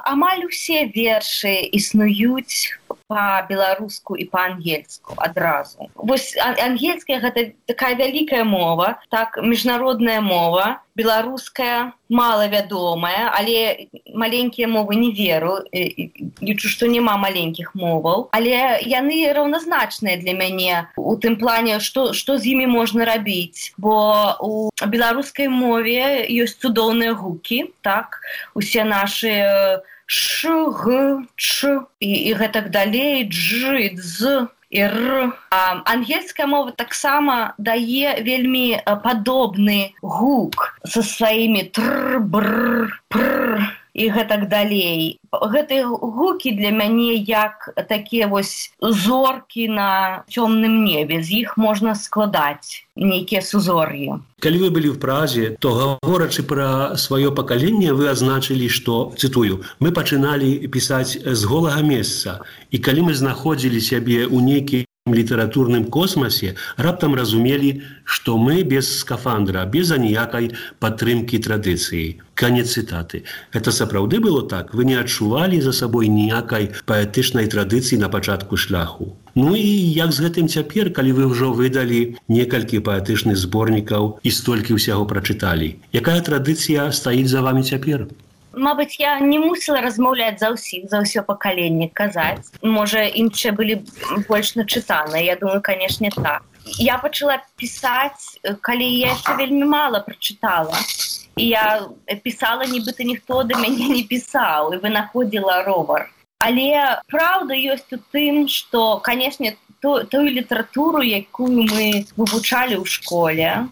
амаль усе вершы існуюць па-беларуску і па-ангельску адразу. Вось ангельская гэта такая вялікая мова, так, міжнародная мова, беларуская малавядомая, але маленькія мовы не веру, лічу, што няма маленькіх моваў, але яны раўназначныя для мяне у тым плане, што з імі можна рабіць, бо у беларускай мове ёсць цудоўныя гукі, так, усе нашы ш, г, ч і гэтак далей, дж, дз і р. Ангельская мова таксама дае вельмі падобны гук са сваімі тр, бр, пр і гэтак далей. Гэтыя гукі для мяне як такія вось зоркі на цёмным небе. З іх можна складаць нейкія сузор'і. Калі вы былі ў Празе, то гаворачы пра сваё пакаленне, вы адзначылі, што, цытую, мы пачыналі пісаць з голага месца, і калі мы знаходзілі сябе ў нейкім літаратурным космасе, раптам разумелі, што мы без скафандра, без аніякай падтрымкі традыцыі. Канец цытаты. Гэта сапраўды было так? Вы не адчувалі за сабой ніякай паэтычнай традыцыі на пачатку шляху? Ну і як з гэтым цяпер, калі вы ўжо выдалі некалькі паэтычных зборнікаў і столькі ўсяго прачыталі? Якая традыцыя стаіць за вамі цяпер? Мабыць, я не мусіла размаўляць за ўсіх, за ўсё пакаленне казаць. Можа, іншыя былі больш начытаныя. Я думаю, канешне, так. Я пачала пісаць, калі я яшчэ вельмі мала прачытала. І я пісала, нібыта ніхто да мяне не пісаў, і вынаходзіла ровар. Але праўда ёсць у тым, што, канешне, тую літаратуру, якую мы вывучалі ў школе,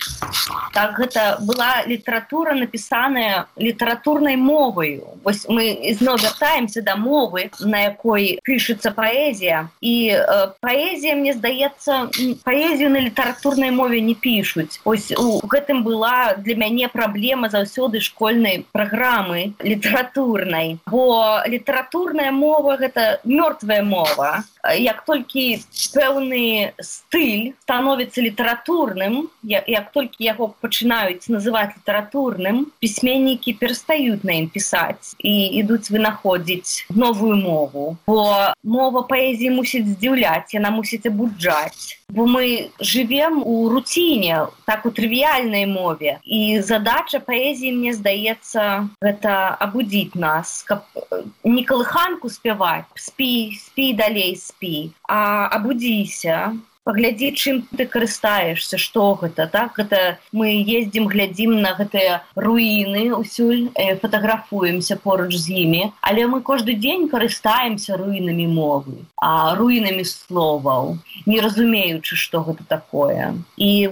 так гэта была літаратура, напісаная літаратурнай моваю. Вось мы зноў вяртаемся да мовы, на якой пішацца паэзія. І паэзія, мне здаецца, паэзію на літаратурнай мове не пішуць. Вось у гэтым была для мяне праблема заўсёды школьнай праграмы літаратурнай. Бо літаратурная мова — гэта мёртвая мова. Як толькі пэўны стыль становіцца літаратурным, як толькі яго пачынаюць называць літаратурным, пісьменнікі перастаюць на ім пісаць і ідуць вынаходзіць новую мову. Бо мова паэзіі мусіць здзіўляць, яна мусіць абуджаць. Бо мы жывем у руціне, так у трывіяльнай мове. І задача паэзіі, мне здаецца, гэта абудзіць нас, каб не калыханку спяваць, спі далей, спі, а абудзіся, паглядзі, чым ты карыстаешься, што гэта, так? Гэта мы ездзім, глядзім на гэтыя руіны ўсюль, фатаграфуемся поруч з імі, але мы кожны дзень карыстаемся руінамі мовы, руінамі словаў, не разумеючы, што гэта такое. І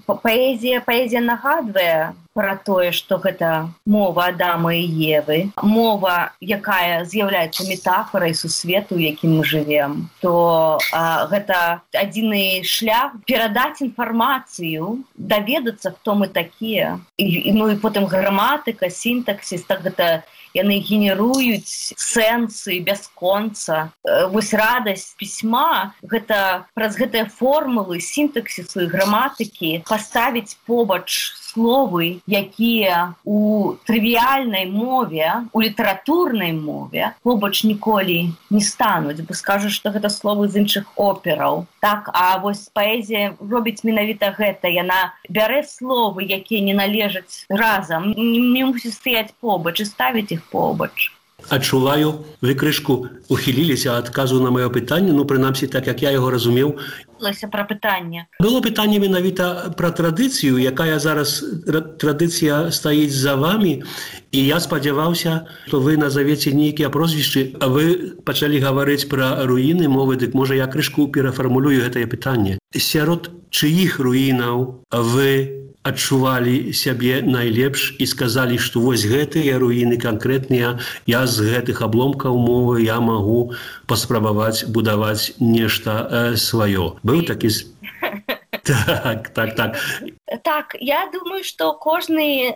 паэзія нагадвае пра тое, што гэта мова Адама і Евы, мова, якая з'яўляецца метафорай сусвету, у якім мы жывем, то гэта адзіны шлях перадаць інфармацыю, даведацца, хто мы такія. Ну і потым граматыка, сінтаксіс, так гэта яны генеруюць сэнсы бясконца. Вось радасць пісьма — гэта праз гэтыя формулы сінтаксісу і граматыкі паставіць побач словы, якія у трывіяльнай мове, у літаратурнай мове побач ніколі не стануць, бо скажуць, што гэта словы з іншых операў. Так, а вось паэзія робіць менавіта гэта. Яна бярэ словы, якія не належаць разам, не мусіць стаяць побач і ставіць іх побач. Адчуваю, вы крышку ухіліліся ад адказу на маё пытанне, ну, прынамсі, так, як я яго разумеў. Пра пытанне. Было пытанне менавіта пра традыцыю, якая зараз традыцыя стаіць за вамі, і я спадзяваўся, што вы назавеце нейкія прозвішчы, а вы пачалі гаварыць пра руіны мовы, дык можа я крышку перафармулюю гэтае пытанне. Сярод чыіх руінаў вы адчувалі сябе найлепш і сказалі, што вось гэтыя руіны канкрэтныя, я з гэтых абломкаў мовы я магу паспрабаваць будаваць нешта сваё. Быў такі... Так. Так, я думаю, што кожны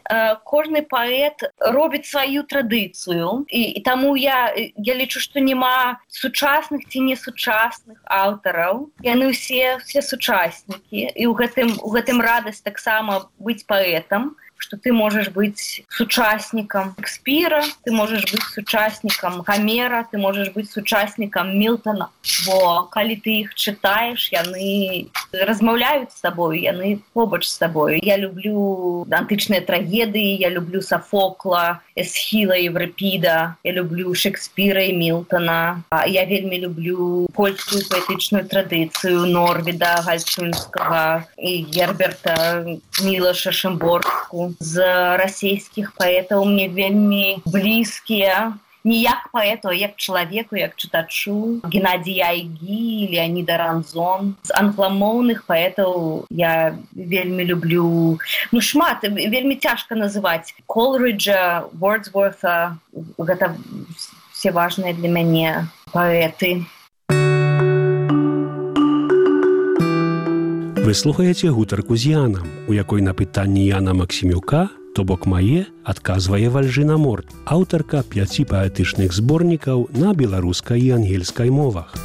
паэт робіць сваю традыцыю, і таму я лічу, што няма сучасных ці несучасных аўтараў. Яны ўсе сучаснікі, і ў гэтым радасць таксама быць паэтам, што ты можаш быць сучаснікам Шекспіра, ты можаш быць сучаснікам Гамера, ты можаш быць сучаснікам Мілтона. Бо калі ты іх чытаеш, яны размаўляюць з табою, яны побач з табою. Я люблю антычныя трагедыі, я люблю Сафокла, Эсхіла, Еврипіда, я люблю Шекспіра і Мілтона. Я вельмі люблю польскую паэтычную традыцыю Норвіда Гальчынскага і Герберта Мілаша Шымборску. З расійскіх паэтаў мне вельмі блізкія не як паэту, а як чалавеку, як чытачу. Геннадзій Айгі, Леаніда Ранзон. З англамоўных паэтаў я вельмі люблю, шмат, вельмі цяжка называць. Колриджа, Вордсворта, гэта все важныя для мяне паэты. Вы слухаеце гутарку з Янам, у якой на пытанні Яна Максімюка, то бок мае, адказвае Вальжына Морт, аўтарка 5 паэтычных зборнікаў на беларускай і ангельскай мовах.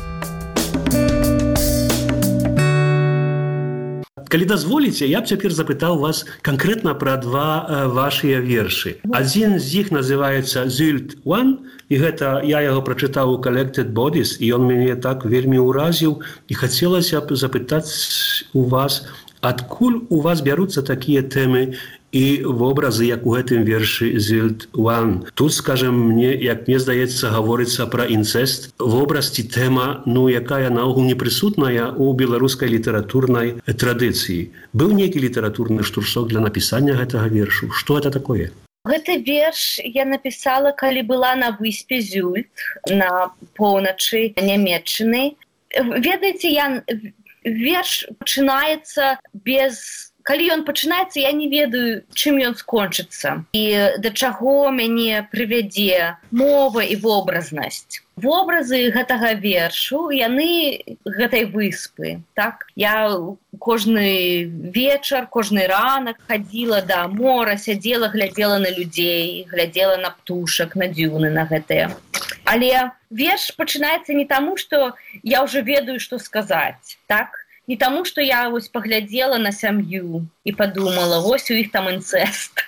Калі дазволіце, я б цяпер запытаў вас канкрэтна пра два вашыя вершы. Адзін з іх называецца «Sylt One», і гэта я яго прачытаў у «Collected Bodies», і ён мяне так вельмі ўразіў, і хацелася б запытаць у вас, адкуль у вас бяруцца такія тэмы і вобразы, як у гэтым вершы «Sylt One». Тут, скажем, як мне здаецца, гаворыцца пра інцэст, вобраз ці тэма, якая наогул не прысутная ў беларускай літаратурнай традыцыі. Быў нейкі літаратурны штуршок для напісання гэтага вершу? Што гэта такое? Гэты верш я напісала, калі была на выспе Зюльт, на поўначы Нямецчыны. Ведаеце, верш пачынаецца без... Калі ён пачынаецца, я не ведаю, чым ён скончыцца. І да чаго мяне прывядзе мова і вобразнасць. Вобразы гэтага вершу, яны гэтай выспы. Так? Я кожны вечар, кожны ранак хадзіла да мора, сядзела, глядзела на людзей, глядзела на птушак, на дзюны, на гэтыя. Але верш пачынаецца не таму, што я ўжо ведаю, што сказаць. Так? Не таму, што я паглядзела на сям'ю і падумала, у іх там інцэст.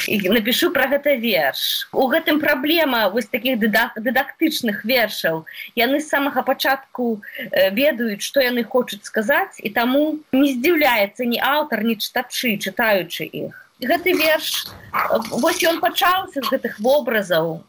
І напішу пра гэта верш. У гэтым праблема такіх дыдактычных вершаў. Яны з самага пачатку ведаюць, што яны хочуць сказаць, і таму не здзіўляецца ні аўтар, ні чытачы, чытаючы іх. Гэты верш, ён пачаўся з гэтых вобразаў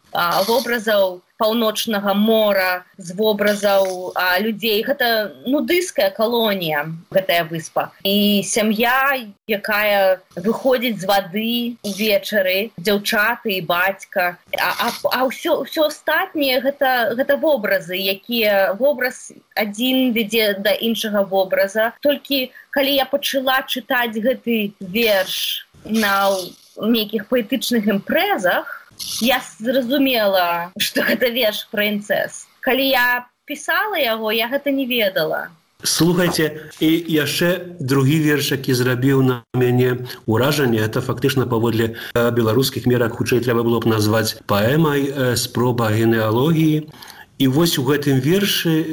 паўночнага мора, з вобразаў людзей. Гэта нудысцкая калонія, гэтая выспа. І сям'я, якая выходзіць з вады увечары, дзяўчаты і бацька. А ўсё астатняе гэта вобразы, якія вобраз адзін вядзе да іншага вобраза. Толькі калі я пачала чытаць гэты верш на нейкіх паэтычных імпрэзах, я зразумела, што гэта верш пра інцэст. Калі я пісала яго, я гэта не ведала. Слухайце, і яшчэ другі верш, які зрабіў на мяне ўражанне, гэта фактычна паводле беларускіх мерак, хутчэй трэба было б назваць паэмай «Спроба генеалогіі». І вось у гэтым вершы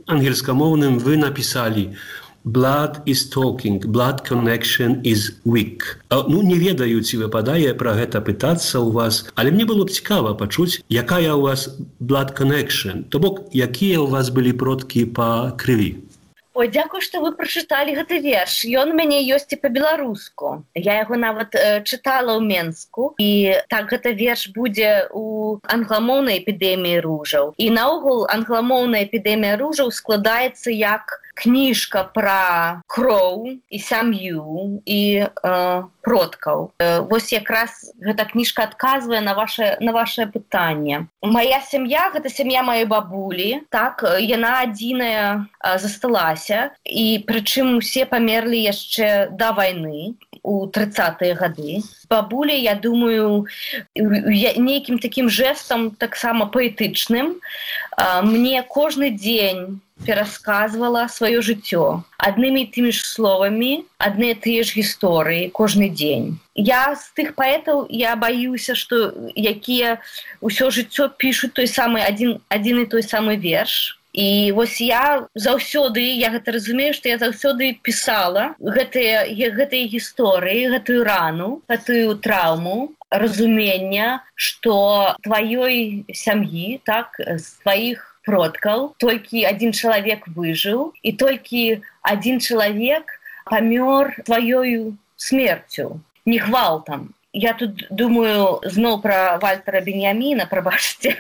ангельскамоўным вы напісалі «Blood is talking, blood connection is weak». Не ведаю, ці выпадае пра гэта пытацца ў вас, але мне было б цікава пачуць, якая ў вас blood connection, то бок, якія ў вас былі продкі па крыві. Ой, дзякую, што вы прачыталі гэты верш. Ён у мяне ёсць і па-беларуску. Я яго нават чытала ў Менску. І так, гэта верш будзе ў англамоўнай эпідэміі ружаў. І наогул англамоўная эпідэмія ружаў складаецца як кніжка пра кроў і сям'ю і продкаў. Вось якраз гэта кніжка адказвае на ваше пытанне. Мая сям'я, гэта сям'я маёй бабулі, так, яна адзіная засталася, і прычым усе памерлі яшчэ да вайны, у 30-е гады. Бабуля, я думаю, нейкім такім жэстам, таксама паэтычным, мне кожны дзень перасказвала сваё жыццё. Аднымі і тымі ж словамі, адны і тыя ж гісторыі кожны дзень. Я з тых паэтаў, я баюся, што якія ўсё жыццё пішуць той самы адзін і той самы верш. І вось я заўсёды, я гэта разумею, што я заўсёды пісала гэтыя гісторыі, гэтую рану, гэтую траўму, разумення, што тваёй сям'і, так, з тваіх продкаў толькі адзін чалавек выжыў, і толькі адзін чалавек памёр тваёю смерцю, не гвалтам. я тут думаю зноў пра Вальтера Беньяміна, прабачце,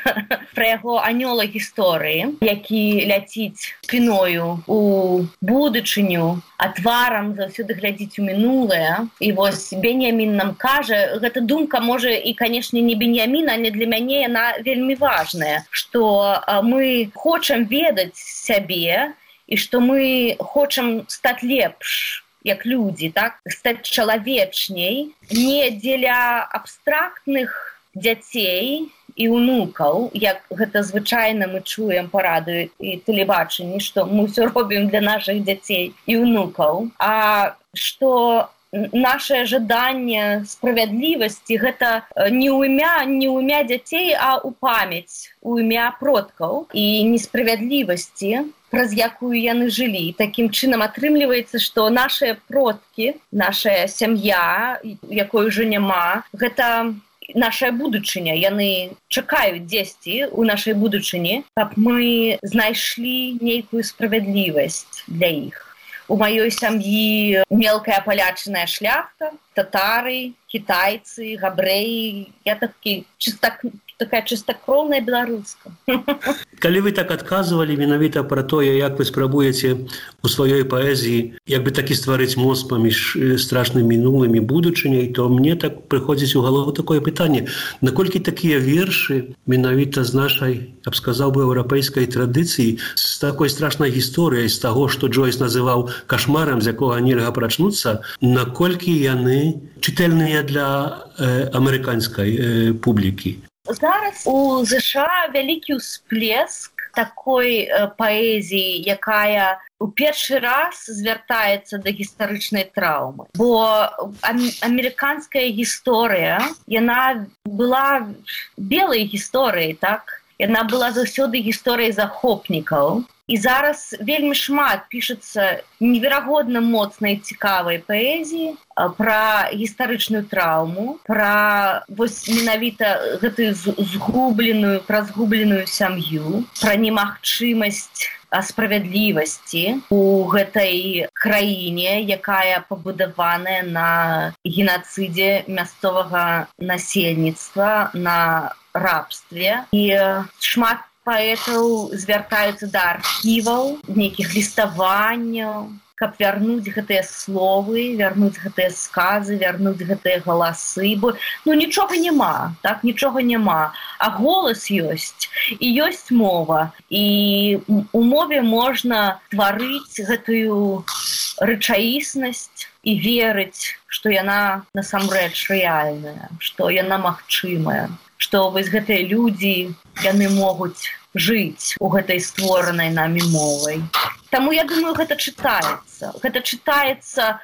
пра яго анёла гісторыі, які ляціць спіною у будучыню, а тварам заўсёды глядзіць у мінулае. І вось Беньямін нам кажа, гэта думка, можа, і, канешне, не Беньяміна, але для мяне яна вельмі важная, што мы хочам ведаць сябе і што мы хочам стаць лепш, як людзі, так? Стаць чалавечней, не дзеля абстрактных дзяцей і унукаў, як гэта звычайна мы чуем па радыё і тэлебачанні, што мы ўсё робім для нашых дзяцей і унукаў, а што наше жаданне справядлівасці гэта не ў імя дзяцей, а ў памяць, у імя продкаў і несправядлівасці, праз якую яны жылі. Такім чынам атрымліваецца, што нашыя продкі, наша сям'я, якой ужо няма, гэта нашая будучыня. Яны чакаюць дзесьці ў нашай будучыні, каб мы знайшлі нейкую справядлівасць для іх. У маёй сям'і мелкая палячаная шляхта, татары, кітайцы, габрэі. Я такая чыстакроўная беларуска. Калі вы так адказвалі менавіта пра тое, як вы спрабуеце у сваёй паэзіі як бы такі стварыць мост паміж страшным мінулым і будучыняй, то мне так прыходзіць у галаву такое пытанне: наколькі такія вершы менавіта з нашай, я б сказаў бы, еўрапейскай традыцыі, з такой страшнай гісторыяй, з таго, што Джойс называў кашмарам, з якога нельга прачнуцца, наколькі яны чытальныя для амерыканскай публікі? Зараз у ЗША вялікі ўсплеск такой паэзіі, якая у першы раз звяртаецца да гістарычнай траўмы. Бо амерыканская гісторыя, яна была белай гісторыяй, так? Яна была заўсёды гісторыяй захопнікаў. І зараз вельмі шмат пішацца неверагодна моцнай цікавай паэзіі пра гістарычную траўму, пра вось менавіта гэтую згубленую сям'ю, пра немагчымасць справядлівасці у гэтай краіне, якая пабудаваная на генацыдзе мясцовага насельніцтва, на рабстве. І шмат паэтаў звяртаюцца да архіваў, нейкіх ліставанняў, каб вярнуць гэтыя словы, вярнуць гэтыя сказы, вярнуць гэтыя галасы, бо нічога няма, так, нічога няма, а голас ёсць, і ёсць мова, і у мове можна тварыць гэтую рэчаіснасць і верыць, што яна насамрэч рэальная, што яна магчымая, што вось гэтыя людзі, яны могуць жыць у гэтай створанай намі мовай. Таму, я думаю, гэта чытаецца. Гэта чытаецца,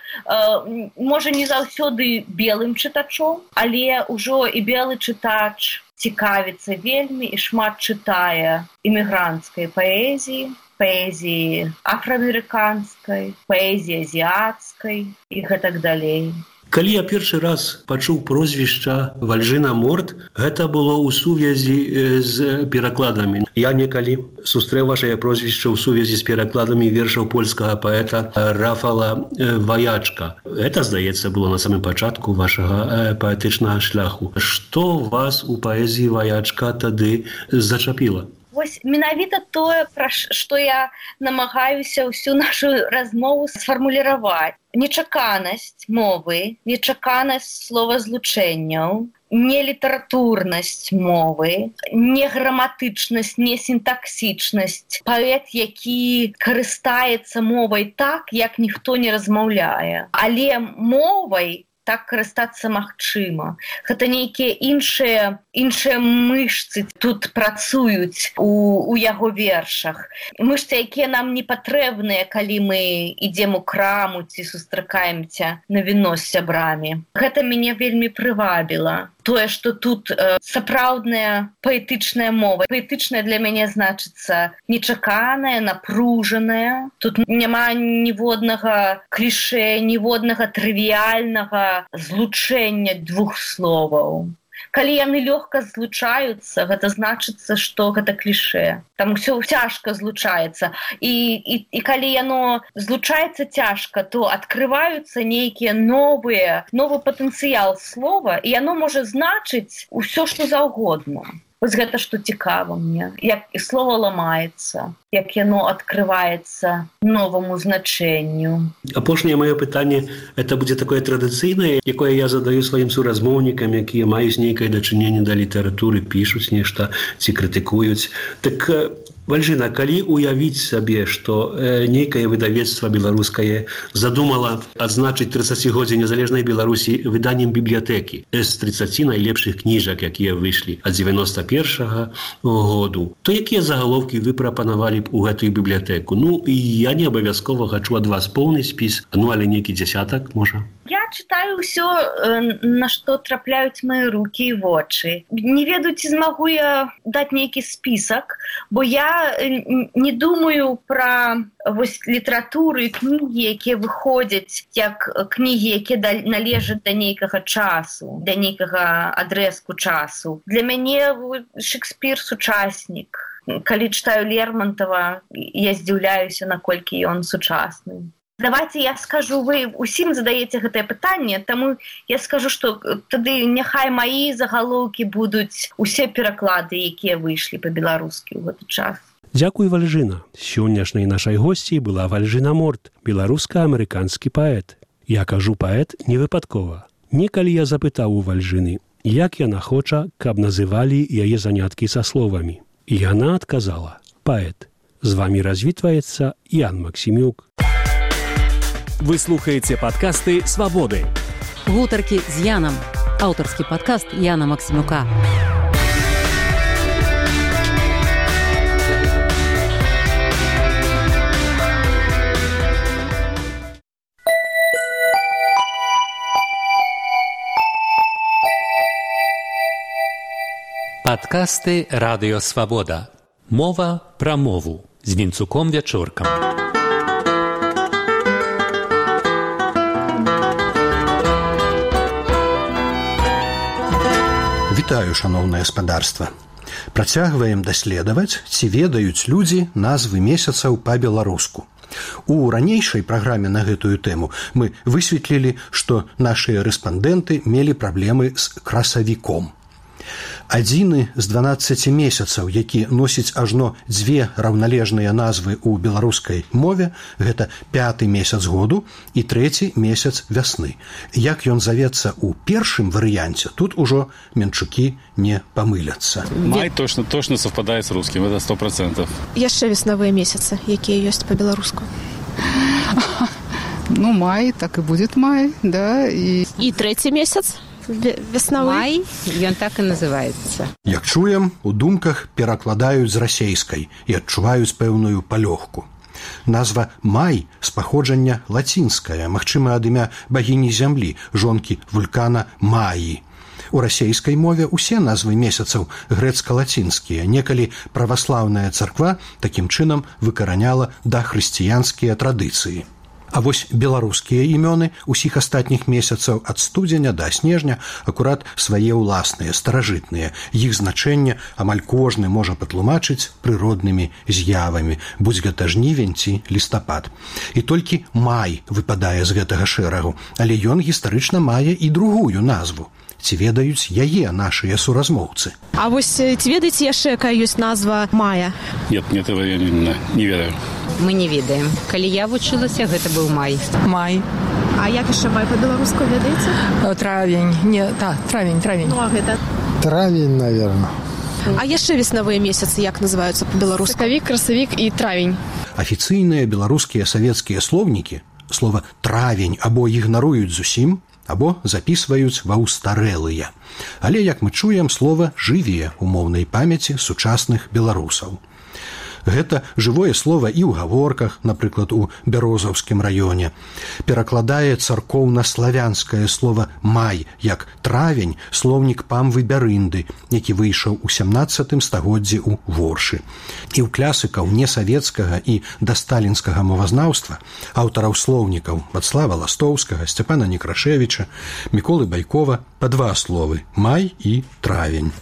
можа, не заўсёды белым чытачом, але ўжо і белы чытач цікавіцца вельмі і шмат чытае імігранцкай паэзіі, паэзіі афраамерыканскай, паэзіі азіяцкай і гэтак далей. Калі я першы раз пачуў прозвішча Вальжына Морт, гэта было ў сувязі з перакладамі. Я некалі сустрэў вашае прозвішча ў сувязі з перакладамі вершаў польскага паэта Рафала Ваячка. Гэта, здаецца, было на самым пачатку вашага паэтычнага шляху. Што вас у паэзіі Ваячка тады зачапіла? Вось менавіта тое, пра што я намагаюся ўсю нашу размову сфармуліраваць. Нечаканасць мовы, нечаканасць словазлучэнняў, нелітаратурнасць мовы, неграматычнасць, несінтаксічнасць. Паэт, які карыстаецца мовай так, як ніхто не размаўляе. Але мовай так карыстацца магчыма. Гэта нейкія іншыя мышцы тут працуюць у яго вершах. Мышцы, якія нам не патрэбныя, калі мы ідзем у краму ці сустракаемся на віно з сябрамі. Гэта мяне вельмі прывабіла. Тое, што тут сапраўдная паэтычная мова. Паэтычная для мяне значыцца нечаканая, напружаная. Тут няма ніводнага клішэ, ніводнага трывіяльнага злучэння двух словаў. Калі яны лёгка злучаюцца, гэта значыцца, што гэта клішэ. Там усё цяжка злучаецца. І калі яно злучаецца цяжка, то адкрываюцца нейкія новы патэнцыял слова, і яно можа значыць усё, што заўгодна. Вось гэта што цікава мне, як слова ламаецца, як яно адкрываецца новаму значэнню. Апошняе маё пытанне, это будзе такое традыцыйнае, якое я задаю сваім суразмоўнікам, якія маюць нейкае дачыненне да літаратуры, пішуць нешта ці крытыкуюць. Так, Вальжына, калі уявіць сабе, што нейкае выдавецтва беларускае задумала адзначыць 30годдзе незалежнай Беларусі выданнем бібліятэкі з 30 найлепшых кніжак, якія выйшлі ад 91-го году, то якія загаловкі вы прапанавалі б у гэтую бібліятэку? Ну, і я не абавязкова хачу ад вас поўны спіс, але нейкі дзясятак, можа? Я читаю ўсё, на што трапляюць мои рукі і вочы. Не ведаю, ці змагу я даць нейкі спісак, бо я не думаю пра літаратуру і кнігі, якія выходзяць як кнігі, якія належаць да нейкага часу, да нейкага адрэзку часу. Для мяне Шекспір сучаснік. Калі читаю Лермонтова, я здзіўляюся, наколькі ён сучасны. Давайте я скажу, вы усім задаеце гэтае пытанне, таму я скажу, што тады няхай маі загалоўкі будуць усе пераклады, якія выйшлі па-беларускі ў гэты час. Дзякуй, Вальжына. Сённяшняй нашай госцей была Вальжына Морт, беларуска-амерыканскі паэт. Я кажу паэт не выпадкова. Некалі я запытаў у Вальжыны, як яна хоча, каб называлі яе заняткі са словамі. І яна адказала: паэт. З вамі развітваецца Ян Максімюк. Вы слухаеце падкасты «Свабоды». Гутаркі з Янам. Аўтарскі падкаст Яна Максімюка. Падкасты «Радыё Свабода». Мова пра мову з Вінцуком Вячоркам. Вітаю, шаноўнае гаспадарства. Працягваем даследаваць, ці ведаюць людзі назвы месяцаў па-беларуску. У ранейшай праграме на гэтую тэму мы высветлілі, што нашыя рэспандэнты мелі праблемы з красавіком. Адзіны з 12 месяцаў, які носіць ажно дзве раўналежныя назвы ў беларускай мове, гэта 5-й месяц году і 3-й месяц вясны. Як ён завецца ў першым варыянце, тут ужо менчукі не памыляцца. Май точно совпадает с русским, это 100%. Яшчэ веснавыя месяцы, якія ёсць па-беларуску. Ну, май, так и будет май, да. И 3-й месяц? Веснавы? Май, ён так і называецца. Як чуем, у думках перакладаюць з расейскай і адчуваюць пэўную палёгку. Назва «май» з паходжання лацінская, магчыма, ад імя багіні зямлі, жонкі вулкана Маі. У расейскай мове ўсе назвы месяцаў грэцка-лацінскія. Некалі праваслаўная царква такім чынам выкараняла дахрысціянскія традыцыі. А вось беларускія імёны ўсіх астатніх месяцаў ад студзеня да снежня акурат свае ўласныя, старажытныя. Іх значэнне амаль кожны можа патлумачыць прыроднымі з'явамі, будзь гэта жнівень ці лістапад. І толькі май выпадае з гэтага шэрагу, але ён гістарычна мае і другую назву. Ці ведаюць яе нашыя суразмоўцы? А вось ці ведаеце яшчэ, якая ёсць назва мая? Нет, этого я не ведаю. Мы не ведаем. Калі я вучылася, гэта быў май. май. А як яшчэ май па-беларуску ведаеце? Травень. Не, так, травень. Ну, а гэта? Травень, наверное. А яшчэ веснавыя месяцы як называюцца па-беларуску? Сакавік, красавік і травень. Афіцыйныя беларускія савецкія слоўнікі слова «травень» або ігнаруюць зусім, або запісваюць ва ўстарэлыя. Але, як мы чуем, слова жыве ў моўнай памяці сучасных беларусаў. Гэта жывое слова і ў гаворках, напрыклад, у Бярозаўскім раёне. Перакладае царкоўна-славянскае слова «май» як «травень» слоўнік Памвы Бярынды, які выйшаў у 17 стагоддзі ў Воршы. І ў класыкаў несавецкага і дасталінскага мовазнаўства, аўтараў слоўнікаў Вацлава Ластоўскага, Сцяпана Некрашевіча, Міколы Байкова па два словы «май» і «травень».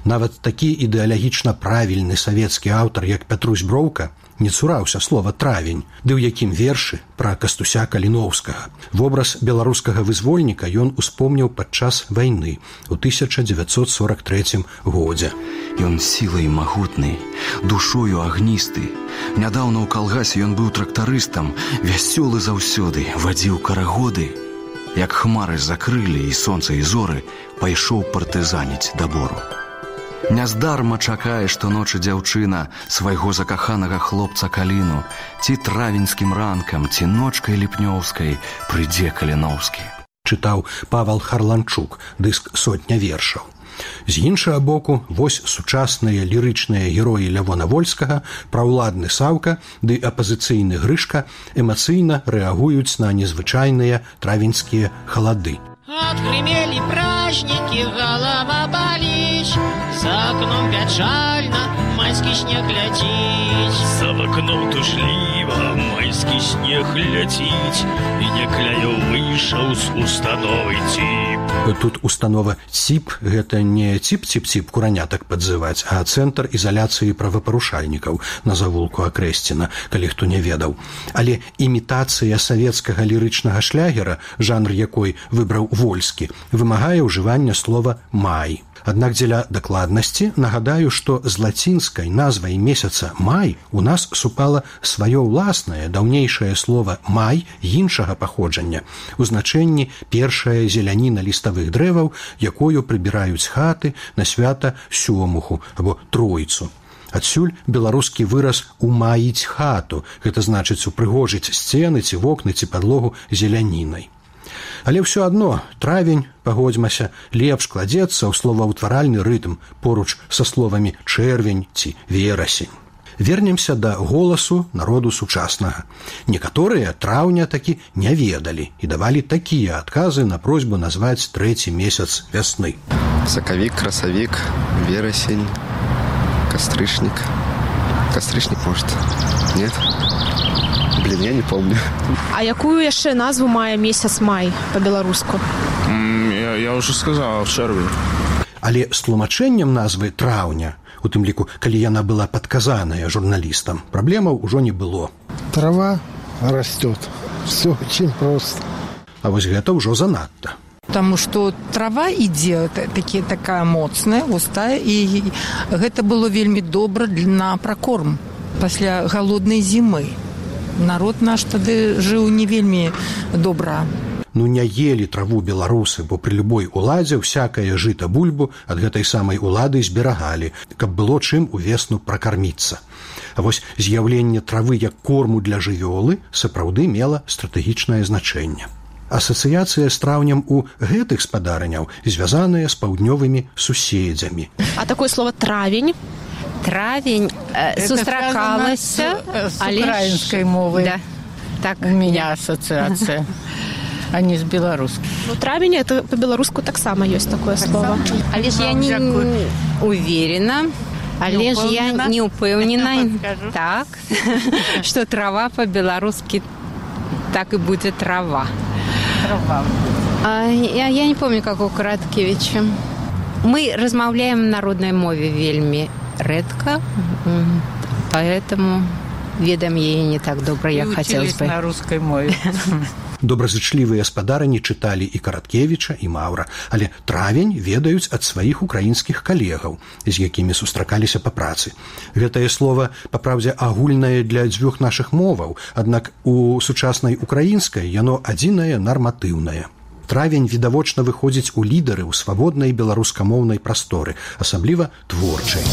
Нават такі ідэалагічна правільны савецкі аўтар, як Пятрусь Броўка, не цураўся слова «травень», ды ў якім вершы пра Кастуся Каліноўскага. Вобраз беларускага вызвольніка ён успомніў падчас вайны ў 1943 годзе. Ён сілай магутны, душою агністы. Нядаўна ў калгасе ён быў трактарыстам, вясёлы заўсёды, вадзіў карагоды. Як хмары закрылі і сонца і зоры, пайшоў партызаніць да бору. Няздарма чакае штоночы дзяўчына свайго закаханага хлопца Каліну, ці травеньскім ранкам, ці ночкай ліпнёўскай прыйдзе Каліноўскі. Чытаў Павал Харланчук, дыск «Сотня вершаў». З іншага боку, вось сучасныя лірычныя героі Лявона Вольскага, праўладны Саўка ды апазіцыйны Грышка эмацыйна рэагуюць на незвычайныя травеньскія халады. Отгремели праздники, голова болит, за окном печально, майский снег летит. За окном тужливо, майский снег летит, и некляю выйшаў з установы ЦІП. Тут установа ЦІП – гэта не ЦІП-ЦІП-ЦІП куранятак падзываць, а цэнтр ізаляцыі правапарушальнікаў на завулку Акрэсціна, калі хто не ведаў. Але імітацыя савецкага лірычнага шлягера, жанр якой выбраў Вольскі, вымагае ўжывання слова «май». Аднак дзеля дакладнасці нагадаю, што з лацінскай назвай месяца «май» у нас супала сваё ўласнае даўнейшае слова «май» іншага паходжання, у значэнні першая зеляніна ліставых дрэваў, якою прыбіраюць хаты на свята Сёмуху або Тройцу. Адсюль беларускі выраз «умаіць хату», гэта значыць упрыгожыць сцены ці вокны ці падлогу зелянінай. Але ўсё адно травень, пагодзьмася, лепш кладзецца ў словаўтваральны рытм поруч са словамі чэрвень ці верасень. Вернемся да голасу народу сучаснага. Некаторыя траўня такі не ведалі і давалі такія адказы на просьбу назваць трэці месяц вясны. Сакавік, красавік, верасень, кастрычнік. Кастрычнік, может? Нет? Блин, я не помню. А якую яшчэ назву мае месяц май па-беларуску? Я уже сказал, чэрвень. Але з тлумачэннем назвы траўня, у тым ліку, калі яна была падказаная журналістам, праблемаў ужо не было. Трава растет. Все очень просто. А вось гэта ўжо занадта. Потому что трава ідзе такая моцная, густая, і гэта было вельмі добра на пракорм пасля галоднай зімы. Народ наш тады жыў не вельмі добра. Ну не елі траву беларусы, бо пры любой уладзе всякае жыта бульбу ад гэтай самай улады зберагалі, каб было чым увесну пракарміцца. А вось з'яўленне травы як корму для жывёлы сапраўды мела стратэгічнае значэнне. Асацыяцыя з траўнем у гэтых спадарняў звязаная з паўднёвымі суседзямі. А такое слово «травень»? Травень сустракалася с украинской мовой. Да. Так у меня ассоциация, а не с белорусской. Ну, травень это по-белоруску так само есть такое слово. Але ж я не уверена. Але ж я не упэўнена, так, что трава по-белорусски так и будет трава. Я не помню, как у Караткевича. Мы размаўляем на народной мове вельмі редко, поэтому ведаем яе не так добра, як хотелось бы. На русской мове. Добразычлівыя спадарні чыталі і Караткевіча, і Маўра, але травень ведаюць ад сваіх украінскіх калегаў, з якімі сустракаліся па працы. Гэтае слова, па праўдзе, агульнае для дзвюх нашых моваў, аднак у сучаснай украінскай яно адзінае нарматыўнае. Травень відавочна выходзіць у лідары ў свабоднай беларускамоўнай прасторы, асабліва творчай.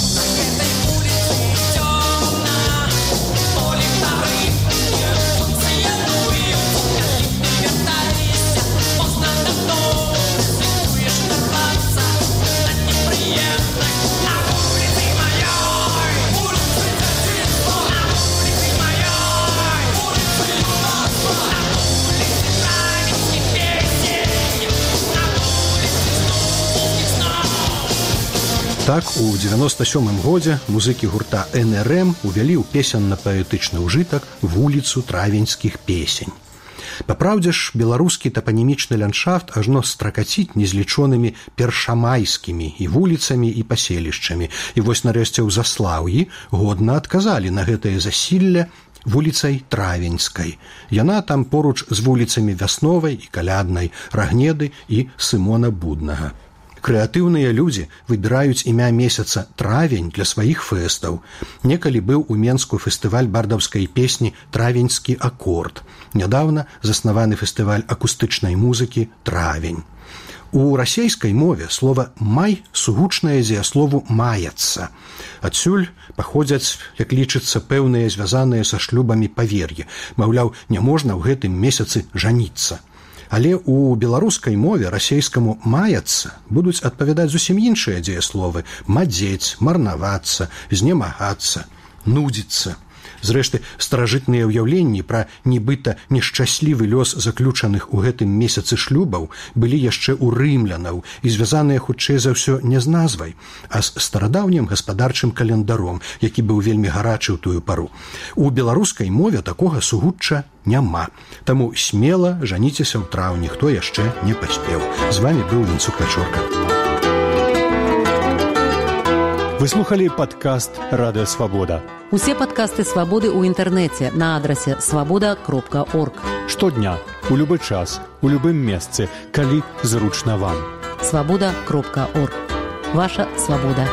Так, у 97-м годзе музыкі гурта НРМ увялі ў песенна-паэтычны ўжытак вуліцу травеньскіх песень. Папраўдзе ж, беларускі тапанімічны ландшафт ажно стракаціць незлічонымі першамайскімі і вуліцамі і паселішчамі. І вось нарэшце ў Заслаўі годна адказалі на гэтае засілле вуліцай Травеньскай. Яна там поруч з вуліцамі Вясновай і Каляднай, Рагнеды і Сымона Буднага. Крэатыўныя людзі выбіраюць імя месяца травень для сваіх фэстаў. Некалі быў у Менску фестываль бардаўскай песні «Травеньскі акорд». Нядаўна заснаваны фестываль акустычнай музыкі «Травень». У расейскай мове слова «май» сугучнае дзеяслову «маяцца». Адсюль паходзяць, як лічыцца, пэўныя звязаныя са шлюбамі павер'і. Маўляў, няможна ў гэтым месяцы жаніцца. Але ў беларускай мове расейскаму «маяцца» будуць адпавядаць зусім іншыя дзеясловы: мадзець, марнавацца, знемагацца, нудзіцца. Зрэшты, старажытныя ўяўленні пра нібыта нешчаслівы лёс заключаных у гэтым месяцы шлюбаў былі яшчэ ў рымлянаў і звязаныя хутчэй за ўсё не з назвай, а з старадаўнім гаспадарчым календаром, які быў вельмі гарачы ў тую пару. У беларускай мове такога сугучча няма. Таму смела жаніцеся ў траўні, хто яшчэ не паспеў. З вами быў Вінцук Вячорка. Вы слухали падкаст «Радыё Свабода». Усе падкасты «Свабоды» ў інтэрнэце на адрасе свабода.орг. Штодня, у любы час, у любым месцы, калі зручна вам. Свабода.орг. Ваша свабода.